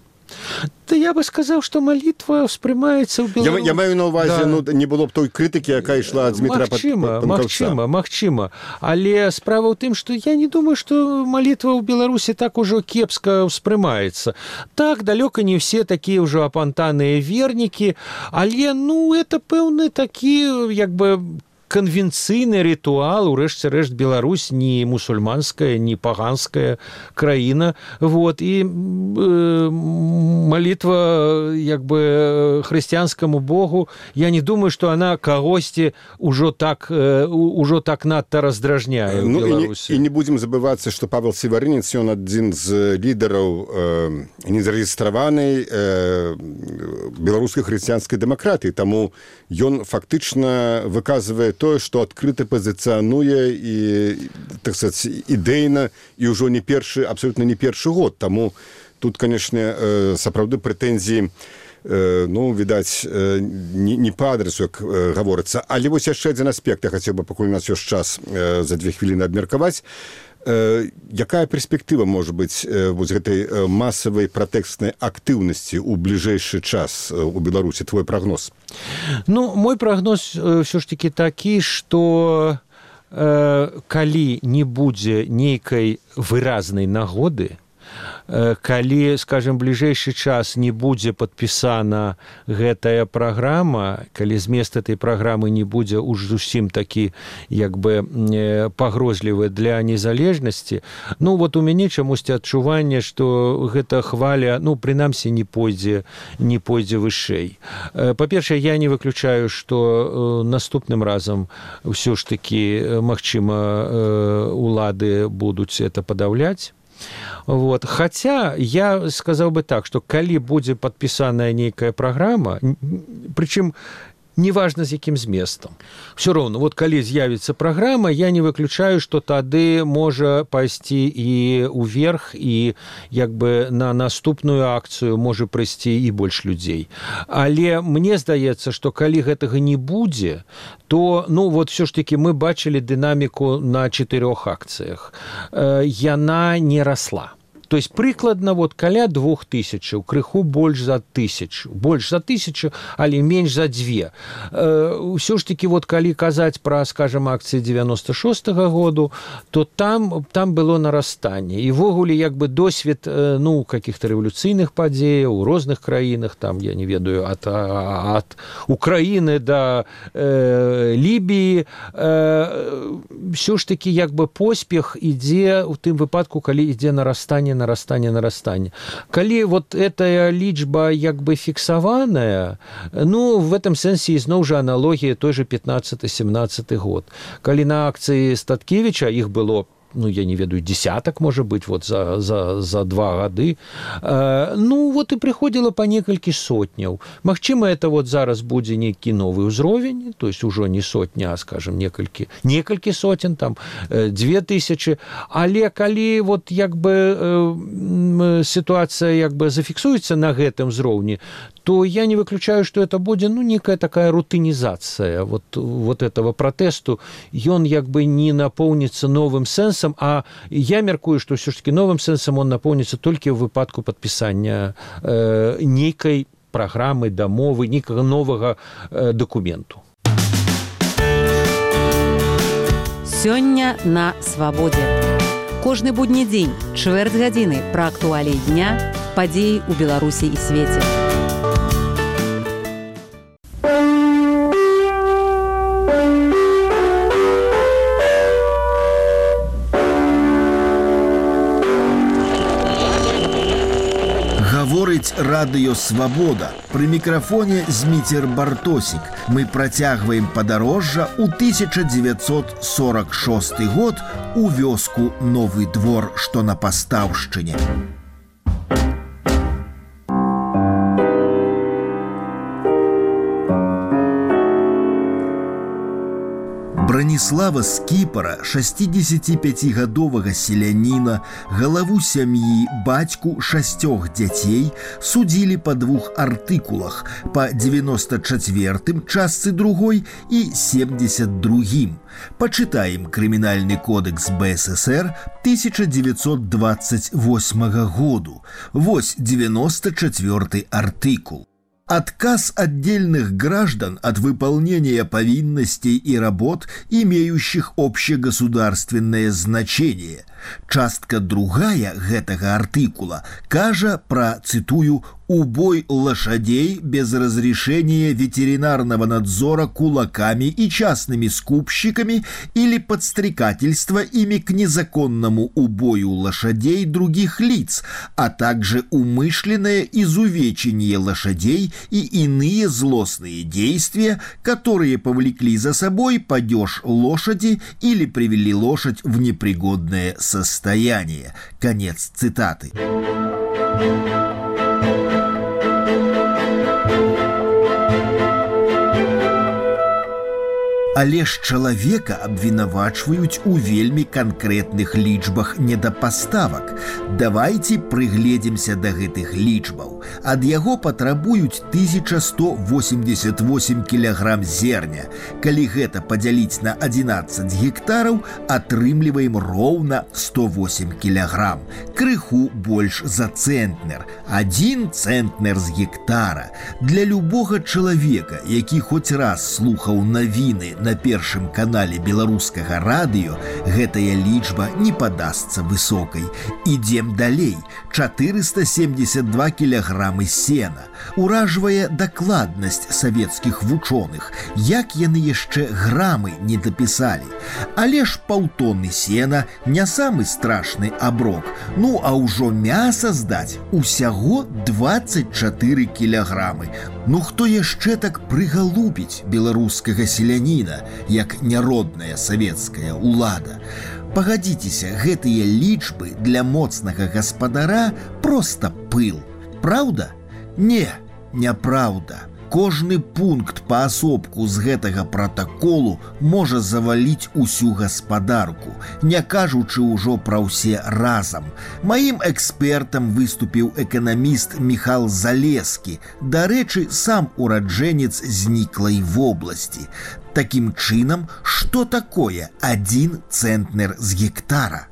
Да я бы сказаў, што малітва ўспрымаецца ў Беларусі. Я, я маю на ўвазе, да. Ну, не было б той крытыкі, якая ішла ад Дмітра Панкаўца. Магчыма, магчыма. Але справа ў тым, што я не думаю, што малітва ў Беларусі так ужо кепска ўспрымаецца. Так, далёка не все такія ўжо апантаныя вернікі, але, ну, это пэўны такі, як бы, конвенцыйны ритуал, урэшце рэшт, Беларусь не мусульманская, не паганская краіна, вот, і э, молитва, як бы, хрысціянскаму Богу, я не думаю, што она кагосьці ўжо так, э, ўжо так надта раздражняе ў ну, Беларусі. І не, і не будзем забывацца, што Павел Севарынец, ён адзін з лідараў э, незарэгістраванай э, беларускай хрысціянскай дэмакратыі, таму ён фактычна выказвае тое, што адкрыта пазіцыянуе і, так сказаць, ідэйна і ўжо не першы, абсолютно не першы год. Таму тут, канешне, сапраўды прэтэнзіі, ну, відаць, не, не па адресу, як гаворыцца. Але вось яшчэ адзін аспект, я хацеў бы, пакуль у нас ёсць час, за две хвіліны абмеркаваць. Якая перспектыва можа быць вось гэтай масавай пратэкстнай актыўнасці ў бліжэйшы час у Беларусі? Твой прагноз? Ну, мой прагноз ўсё ж такі такі, што э, калі не будзе нейкай выразнай нагоды, калі, скажем, бліжэйшы час не будзе падпісана гэтая праграма, калі змест этой праграмы не будзе уж зусім такі, як бы, пагрозлівы для незалежнасці, ну, вот у мяне чамусьці адчуванне, што гэта хваля, ну, прынамсі, не пойдзе, не пойдзе вышэй. Па-першае, я не выключаю, што наступным разам ўсё ж такі, магчыма, улады будуць это падаўляць. Вот. Хаця я сказаў бы так, што калі будзе падпісаная нейкая праграма, прычым неважна з якім зместам. Все роўна, вот калі з'явіцца праграма, я не выключаю, што тады можа пайсці і ўверх, і як бы на наступную акцыю можа прыйсці і больш людзей. Але мне здаецца, што калі гэтага не будзе, то, ну, вот все ж таки мы бачылі дынаміку на чатырох акцыях. Яна не расла. То есть прыкладна вот каля двух тысячаў, крыху больш за тысячу, больш за тысячу, але менш за две. Ўсё ж таки вот калі казаць пра, скажем, акцыі девяносто шостага году, то там, там было нарастанне. І ввогуле, як бы, досвед, ну, каких-то рэвалюцыйных падзеяў у розных краінах, там, я не ведаю, ад, ад Украіны да э, Лібіі, э, ўсё ж таки, як бы, поспех ідзе ў тым выпадку, калі ідзе нарастанне нарастание, нарастание. Калі вот эта лічба як бы фіксаваная, ну, в этом сэнсе ізноў жа аналогія той же пятнадцаты-семнадцаты год. Калі на акцыі Статкевіча іх было, ну, я не ведаю, десяток, может быть, вот за, за, за два гады, э, ну, вот и приходило по некалькі сотняў. Магчыма, это вот зараз будзе нейкі новы ўзровень, то есть ужо не сотня, а, скажем, некалькі, некалькі сотен, там, э, две тысячи, але калі вот, як бы, э, ситуация, як бы, зафіксуецца на гэтым ўзроўні, то я не выключаю, что это будет, ну, некая такая рутинизация вот, вот этого протесту. Он как бы не наполнится новым сенсом, а я меркую, что все-таки новым сенсом он наполнится только в выпадку подписания э, некой программы, дамовы, некого нового э, документу. Сёння на свабодзе. Кожны будні дзень, чвэрць гадзіны пра актуаліі дня, падзеі ў Беларусі і свеце. Гаворыць радыё «Свабода». Пры мікрафоне Зміцер Бартосік. Мы працягваем падарожжа ў тысяча дзевяцьсот сорок шосты год у вёску Новы Двор, што на Пастаўшчыне. Браніслава Скіпара, шасцідзесяціпяцігадовага селяніна, галаву сям'і, бацьку шасцёх дзяцей, судзілі па двух артыкулах, па дзевяноста чацвёртым частцы другой і семдзесят другім. Пачытаем крымінальны кодэкс Бэ Эс Эс Эр тысяча дзевяцьсот дваццаць восьмага году. Вось девяносто четвёртый артыкул. Отказ отдельных граждан от выполнения повинностей и работ, имеющих общегосударственное значение. Частка другая гэтага артыкула кажа про, цитую, «убой лошадей без разрешения ветеринарного надзора кулаками и частными скупщиками или подстрекательство ими к незаконному убою лошадей других лиц, а также умышленное изувечение лошадей и иные злостные действия, которые повлекли за собой падеж лошади или привели лошадь в непригодное состояние». Конец цитаты. Але ж чалавека абвінавачваюць у вельмі канкрэтных лічбах недапаставак. Давайце прыгледзімся да гэтых лічбаў. Ад яго патрабуюць тысяча сто восемьдесят восемь кілаграм зерня. Калі гэта падзяліць на адзінаццаць гектараў, атрымліваем роўна сто восемь кілаграм. Крыху больш за цэнтнер. Адзін цэнтнер з гектара. Для любога чалавека, які хоць раз слухаў навіны на першым канале беларускага радыё, гэтая лічба не падасца высокай. Ідзем далей. чатырыста семьдесят два кілаграмы сена. Уражвае дакладнасць савецкіх вучоных, як яны яшчэ грамы не дапісалі. Але ж паўтоны сена не самы страшны аброк. Ну, а ўжо мяса здаць усяго двадцать чатыры кілаграмы. Ну, хто яшчэ так прыгалубіць беларускага селяніна, як няродная савецкая ўлада? Пагадзіцеся, гэтыя лічбы для моцнага гаспадара проста пыл. Праўда? Не, няпраўда. Кожны пункт паасобку з гэтага пратаколу можа заваліць усю гаспадарку, не кажучы ўжо пра ўсе разам. Маім экспертам выступіў эканаміст Міхал Залескі, дарэчы, сам ураджэнец зніклай вобласці. Такім чынам, што такое адзін цэнтнер з гектара?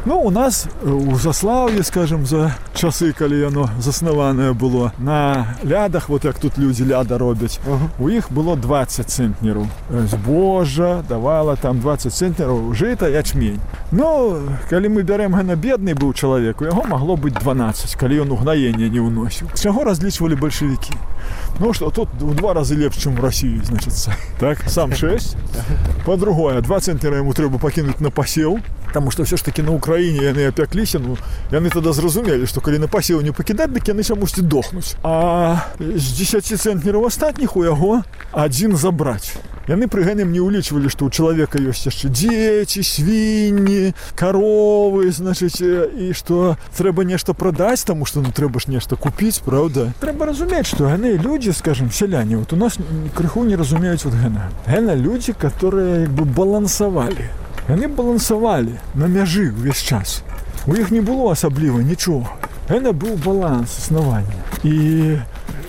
Ну, у нас у Заслаўі, скажем, за часы, калі яно заснаванае было, на лядах, вот як тут людзі ляда робяць, uh-huh. у іх было двадцать цэнтнераў. Збожжа давала там двадцать цэнтнераў, жыта, ячмень. Ну, калі мы бярем гэна бедны быў чалавек, у яго магло быць дванаццаць, калі ён угнаенне не ўносіў. З чаго разлічвалі бальшавікі? Ну, што тут у два разы лепш, чым у Расіі, значыцца. Так, сам шэсць. Па-другое, два цэнтнера яму трэба пакінуць на пасеў, таму што ўсё ж такі на Украіне яны апякліся, ну, яны тады зразумелі, што калі на пасеў не пакідаць, дык яны чамусьці дохнуць. А з дзесяці цэнтнераў астатніх у яго адзін забраць. Яны пры гэтым не ўлічвалі, што ў чалавека ёсць яшчэ дзеці, свінні, каровы, значыць, і што трэба нешта прадаць, таму што ну трэба ж нешта купіць, праўда? Трэба разумець, што яны людзі, скажем, сяляне, вот у нас крыху не разумеюць вот гэна. Гэна людзі, которые як бы балансавалі. Яны балансавалі на мяжы ўвесь час. У іх не было асабліва нічога. Гэна быў баланс існавання. І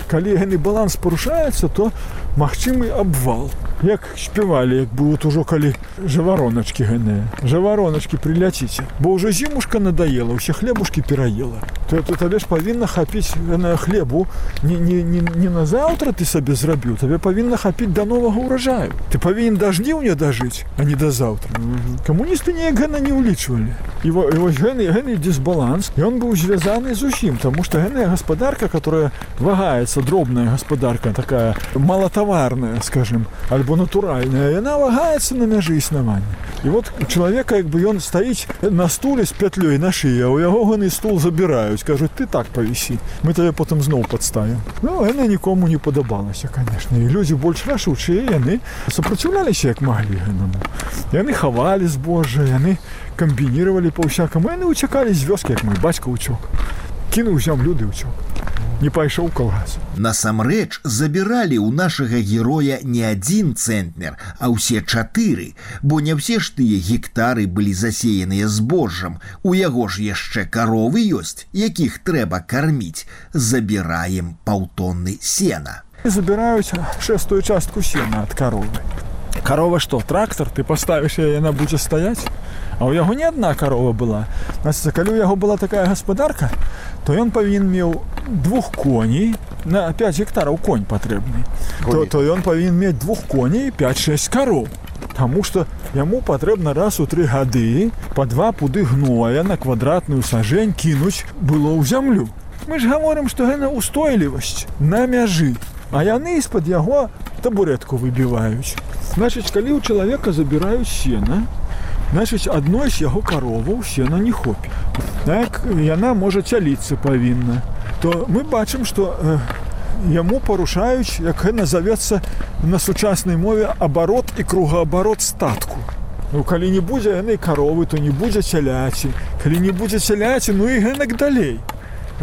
калі гэны баланс парушаецца, то магчымы абвал. як спявалі, як бы вот ужо калі жавароначкі гэныя. Жавароначкі прыляціце, бо ўжо зімушка надоела, усе хлебушкі пераела. То, то табе ж павінна хапіць на хлебу не, не, не, не на заўтра ты сабе зрабіў, табе павінна хапіць да новага ўраджаю. Ты павінен да жніўня дажыць, а не да заўтра. Mm-hmm. Камуністы неяк гэна не ўлічвалі. І, і вось гэны, гэны дисбаланс, ён быў звязаны з усім, таму што гэная гаспадарка, которая вагаецца, дробная гаспадарка, такая малатаварная, скажем, альбо натуральная, яна вагаецца на мяжы існавання. І вот у чалавека, як бы ён стаіць на стуле з пятлёй на шыі, а ў яго гэны стул забіраюць, кажуць, ты так павісі, мы табе потым зноў падставім. Ну, яна нікому не падабалася, конечно. І людзі больш рашучыя, яны супраціўляліся як маглі гэтаму. Яны хавалі збожжа, яны камбінировали па-ўсякаму, яны уцякалі з вёскі, як мой бацька ўцёк. Кінуў зямлю ды ўцёк. Не пайшоў калгас. Насамрэч забіралі ў нашага героя не адзін цэнтнер, а ўсе чатыры, бо не ўсе ж тыя гектары былі засеяныя збожжам. У яго ж яшчэ каровы ёсць, якіх трэба карміць. Забіраем паўтонны сена. Забіраюць шэстую частку сена ад каровы. Карова што, трактор? Ты паставіш яе, яна будзе стаяць? А ў яго не адна карова была. Значит, калі ў яго была такая гаспадарка, то ён павінен меў двух коней, на пяць гектараў конь патрэбны. То, то ён павінен мець двух коней і пяць-шэсць кароў. Таму што яму патрэбна раз у тры гады па два пуды гноя на квадратную сажень кінуць было ў зямлю. Мы ж гаворым, што гэта устойлівасць на мяжы, а яны з-пад яго табурэтку выбіваюць. Значыць, калі ў чалавека забіраюць сена, значыць, адной з яго кароваў сена не хопіць. Так, яна можа цяліцца павінна. То мы бачым, што э, яму парушаюць, як гэта назавецца на сучаснай мове, абарот і кругаабарот статку. Ну, калі не будзе яны каровы, то не будзе цяляці. Калі не будзе цяляці, ну і гэнак далей.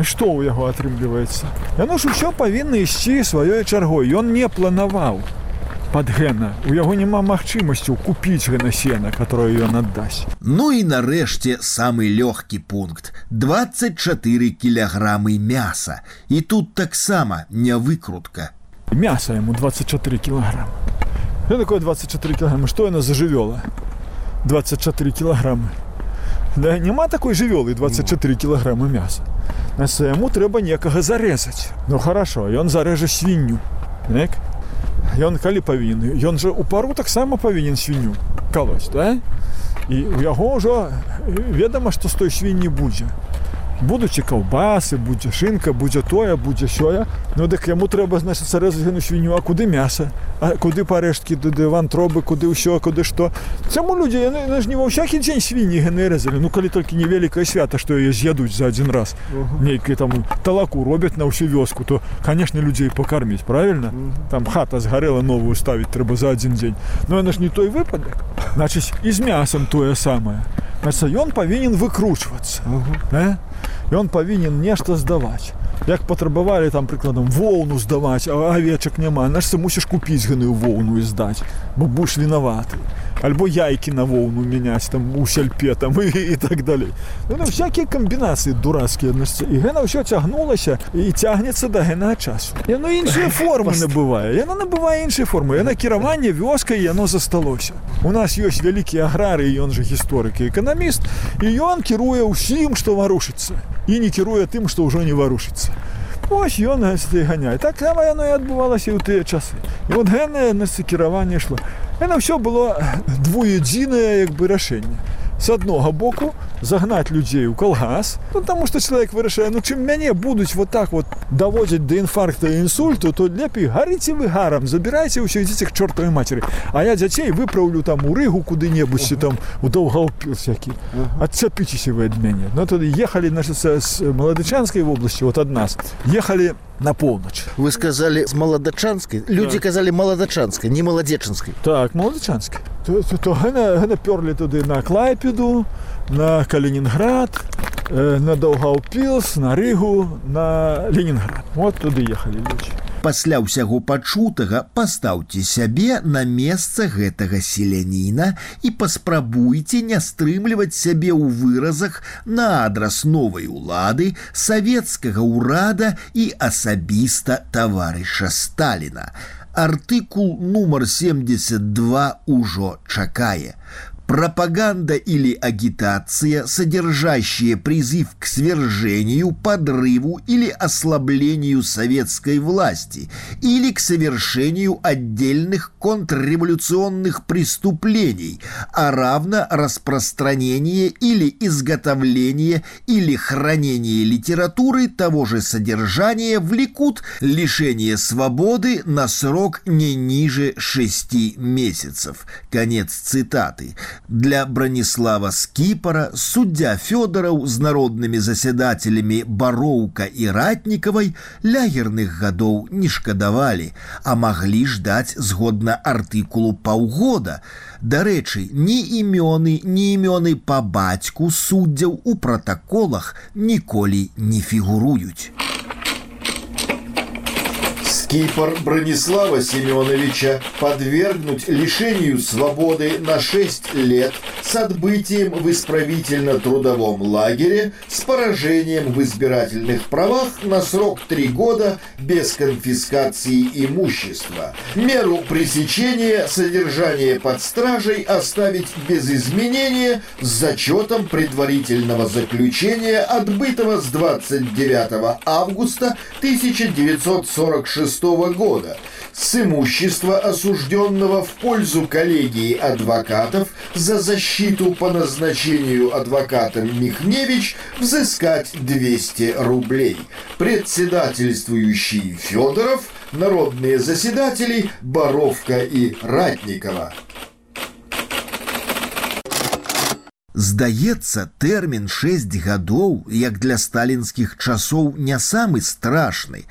Што ў яго атрымліваецца? Яно ж усё павінна ісці сваёй чаргой. Ён не планаваў пад гэна. У яго няма магчымасцю купіць гэна сена, которое ён аддасць. Ну і нарэшце самы лёгкі пункт. дваццаць чатыры кілаграмы мяса. І тут таксама не выкрутка. Мяса яму дваццаць чатыры кілаграмы. Што такое дваццаць чатыры кілаграмы? Што яна за жывёла? дваццаць чатыры кілаграмы. Да, няма такой жывёлы дваццаць чатыры кілаграмы мяса. Значит, яму трэба некага зарэзаць. Ну хорошо, ён зарэжа свінню. Так? Ён калі павінен? Ён жа у пару таксама павінен свінню калоць, да? І у яго ўжо ведама, што з той свінні будзе. Будуць і каўбасы, будзе шынка, будзе тое, будзе сёе. Ну дык яму трэба, значит, зарэзаць гэну свінню, а куды мяса? А куды парэшткі, куды вантробы, куды ўсё, куды што? Чаму людзі, яны, яны ж не ва ўсякі дзень свінні гэны рэзалі. Ну калі толькі невялікае свята, што яе з'ядуць за адзін раз. Uh-huh. Нейкае там талаку робяць на ўсю вёску, то, канешне, людзей пакарміць, правільна? Uh-huh. Там хата згарэла, новую ставіць трэба за адзін дзень. Ну яна ж не той выпадак. Значыць, і з мясам тое самае. Значыць, ён павінен выкручвацца. Uh-huh. э? Ён павінен нешта здаваць. Як патрабавалі там, прыкладам, воўну здаваць, а авечак няма, значыць, мусіш купіць гэную воўну і здаць, бо будзеш вінаваты. Альбо яйкі на воўну мяняць там у сяльпе там і, і так далей. Ну, ну, всякія камбінацыі дурацкія. І гэна ўсё цягнулася і цягнецца да гэтага часу. Яно іншыя формы набывае. Яно набывае іншыя формы. Яно кіраванне вёскай, яно засталося. У нас ёсць вялікі аграрый, ён жа гісторык і эканаміст, і ён кіруе ўсім, што варушыцца. І не кіруе тым, што ўжо не варушыцца. Ось ён ганяе. Так само яно і адбывалася ў тыя часы. І от гэтае кіраванне ішло. Яно ўсё было двуедзінае як бы рашэнне. З аднога боку загнаць людзей у калгас, ну, таму што чалавек вырашае, ну чым мяне будуць вот так вот даводзіць да інфаркта і інсульту, то лепей гарыце вы гарам, забірайце ўсё, ідзіце к чортавай мацеры. А я дзяцей выпраўлю там у Рыгу куды-небудзь, uh-huh. там у Даўгаўпіл всякі. Uh-huh. Адцапіцеся вы ад мяне. Ну тады ехалі значит, з Маладычанскай вобласці, вот ад нас, ехалі на поўнач. Вы сказали з Маладачанскай? Люди так. казали Маладачанскай, не Маладзечанскай. Так, Маладычанскай. То, то, то гэна, гэна пёрлі туды на Клайпеду, на Калининград, э, на Даўгаўпілс, на Рыгу, на Ленінград. Вот туды ехалі людзі. Пасля ўсяго пачутага пастаўце сябе на месца гэтага селяніна і паспрабуйце не стрымліваць сябе ў выразах на адрас новай улады, савецкага ўрада і асабіста таварыша Сталіна. Артыкул нумар семьдесят два уже чакае. Пропаганда или агитация, содержащая призыв к свержению, подрыву или ослаблению советской власти или к совершению отдельных контрреволюционных преступлений, а равно распространение или изготовление или хранение литературы того же содержания влекут лишение свободы на срок не ниже шести месяцев. Конец цитаты. Для Бранислава Скіпара суддя Фёдораў з народнымі засядателями Бароўка і Ратнікавай лягерных гадоў не шкадавалі, а маглі ждаць згодна артыкулу паўгода. Дарэчы, ні імёны, ні імёны па бацьку суддзяў у пратаколах ніколі не фігуруюць. Скипор Бронислава Семеновича подвергнуть лишению свободы на шесть лет с отбытием в исправительно-трудовом лагере с поражением в избирательных правах на срок три года без конфискации имущества. Меру пресечения содержания под стражей оставить без изменения с зачетом предварительного заключения, отбытого с двадцать девятого августа тысяча девятьсот сорок шестого года, с имущества осужденного в пользу коллегии адвокатов за защиту по назначению адвокатом Михневич взыскать двести рублей. Председательствующий Федоров, народные заседатели Боровка и Ратникова. Здаецца, тэрмін шэсць гадоў, як для сталінскіх часоў, не самы страшны,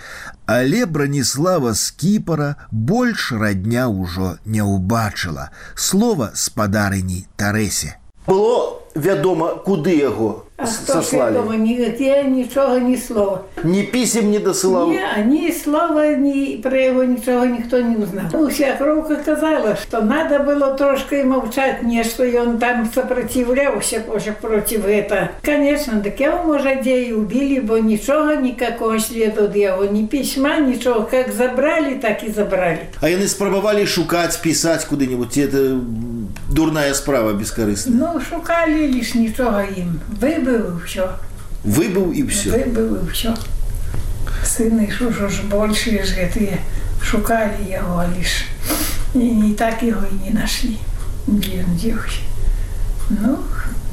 але Бранислава Скіпара больш радня ўжо не ўбачыла. Слова спадарыні Тарэсе. Было вядома, куды яго А хто сослали? вядома, ні, я нічого, ні слова. Ні пісем не досылал? Ні, ні слова, ні про його нічого ніхто не узнав. Уся кровка казала, що треба було трошки мовчати, не що він там сопротивлявся проти этого. Конечно, так його, може, де і убили, бо нічого, ніякого сліду від його, ні письма, нічого. Як забрали, так і забрали. А яны спрабавалі шукаць, пісаць куды-нибудь? Это дурная справа бескорыстная. Ну, шукали лиш нічого їм. Вибив і все. Выбыў і все. Выбив і все. Сыны, що ж більше ж гэтые шукали його лиш. І не так його і не нашли. Де він дівся. Ну,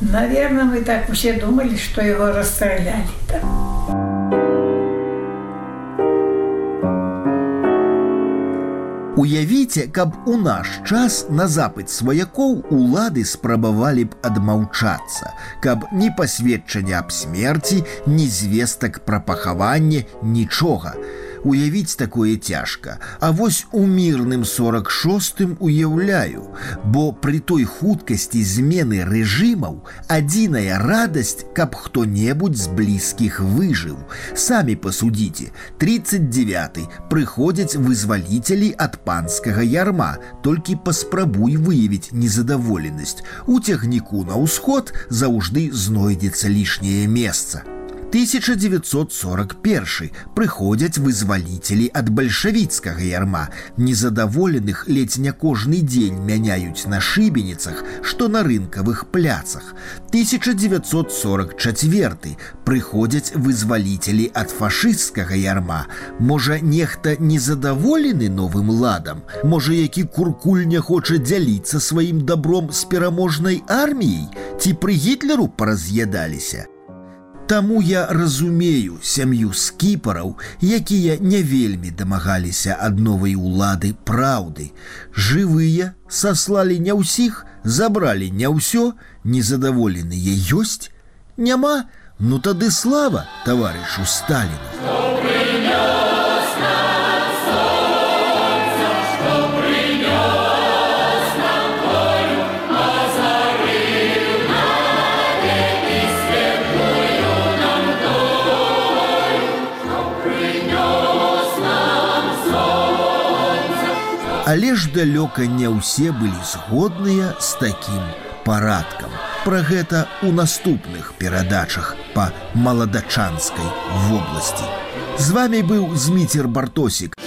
наверное, мы так все думали, что его расстреляли там. Уявіце, каб у наш час на запыт сваякоў улады спрабавалі б адмаўчацца, каб ні пасведчання аб смерці, ні звестак пра пахаванне, нічога. Уявіць такое цяжка, а вось у мірным сорок шостым уяўляю, бо пры той хуткасці змены рэжымаў адзіная радасць, каб хто-небудзь з блізкіх выжыў. Самі пасудзіце, тридцать девяты прыходзяць вызваліцелі ад панскага ярма, толькі паспрабуй выявіць незадаволенасць. У цягніку на ўсход заўжды знойдзецца лішняе месца. тысяча девятьсот сорок первый прыходзяць вызваліцелі ад бальшавіцкага ярма. Незадаволеных ледзь не кожны дзень мяняюць на шыбеніцах, што на рынкавых пляцах. тысяча девятьсот сорок четвёртый прыходзяць вызваліцелі ад фашысцкага ярма. Можа, нехта незадаволены новым ладам? Можа, які куркуль не хоча дзяліцца сваім дабром з пераможнай арміяй? Ці пры Гітлеру параз'ядаліся? Таму я разумею сям'ю скіпараў, якія не вельмі дамагаліся ад новай улады праўды. Жывыя саслалі не ўсіх, забралі не ўсё, незадаволеныя ёсць? Няма? Ну тады слава таварышу Сталіну. Але ж далёка не ўсе былі згодныя з такім парадкам. Пра гэта ў наступных перадачах па маладачанскай вобласці. З вамі быў Зміцер Бартосік.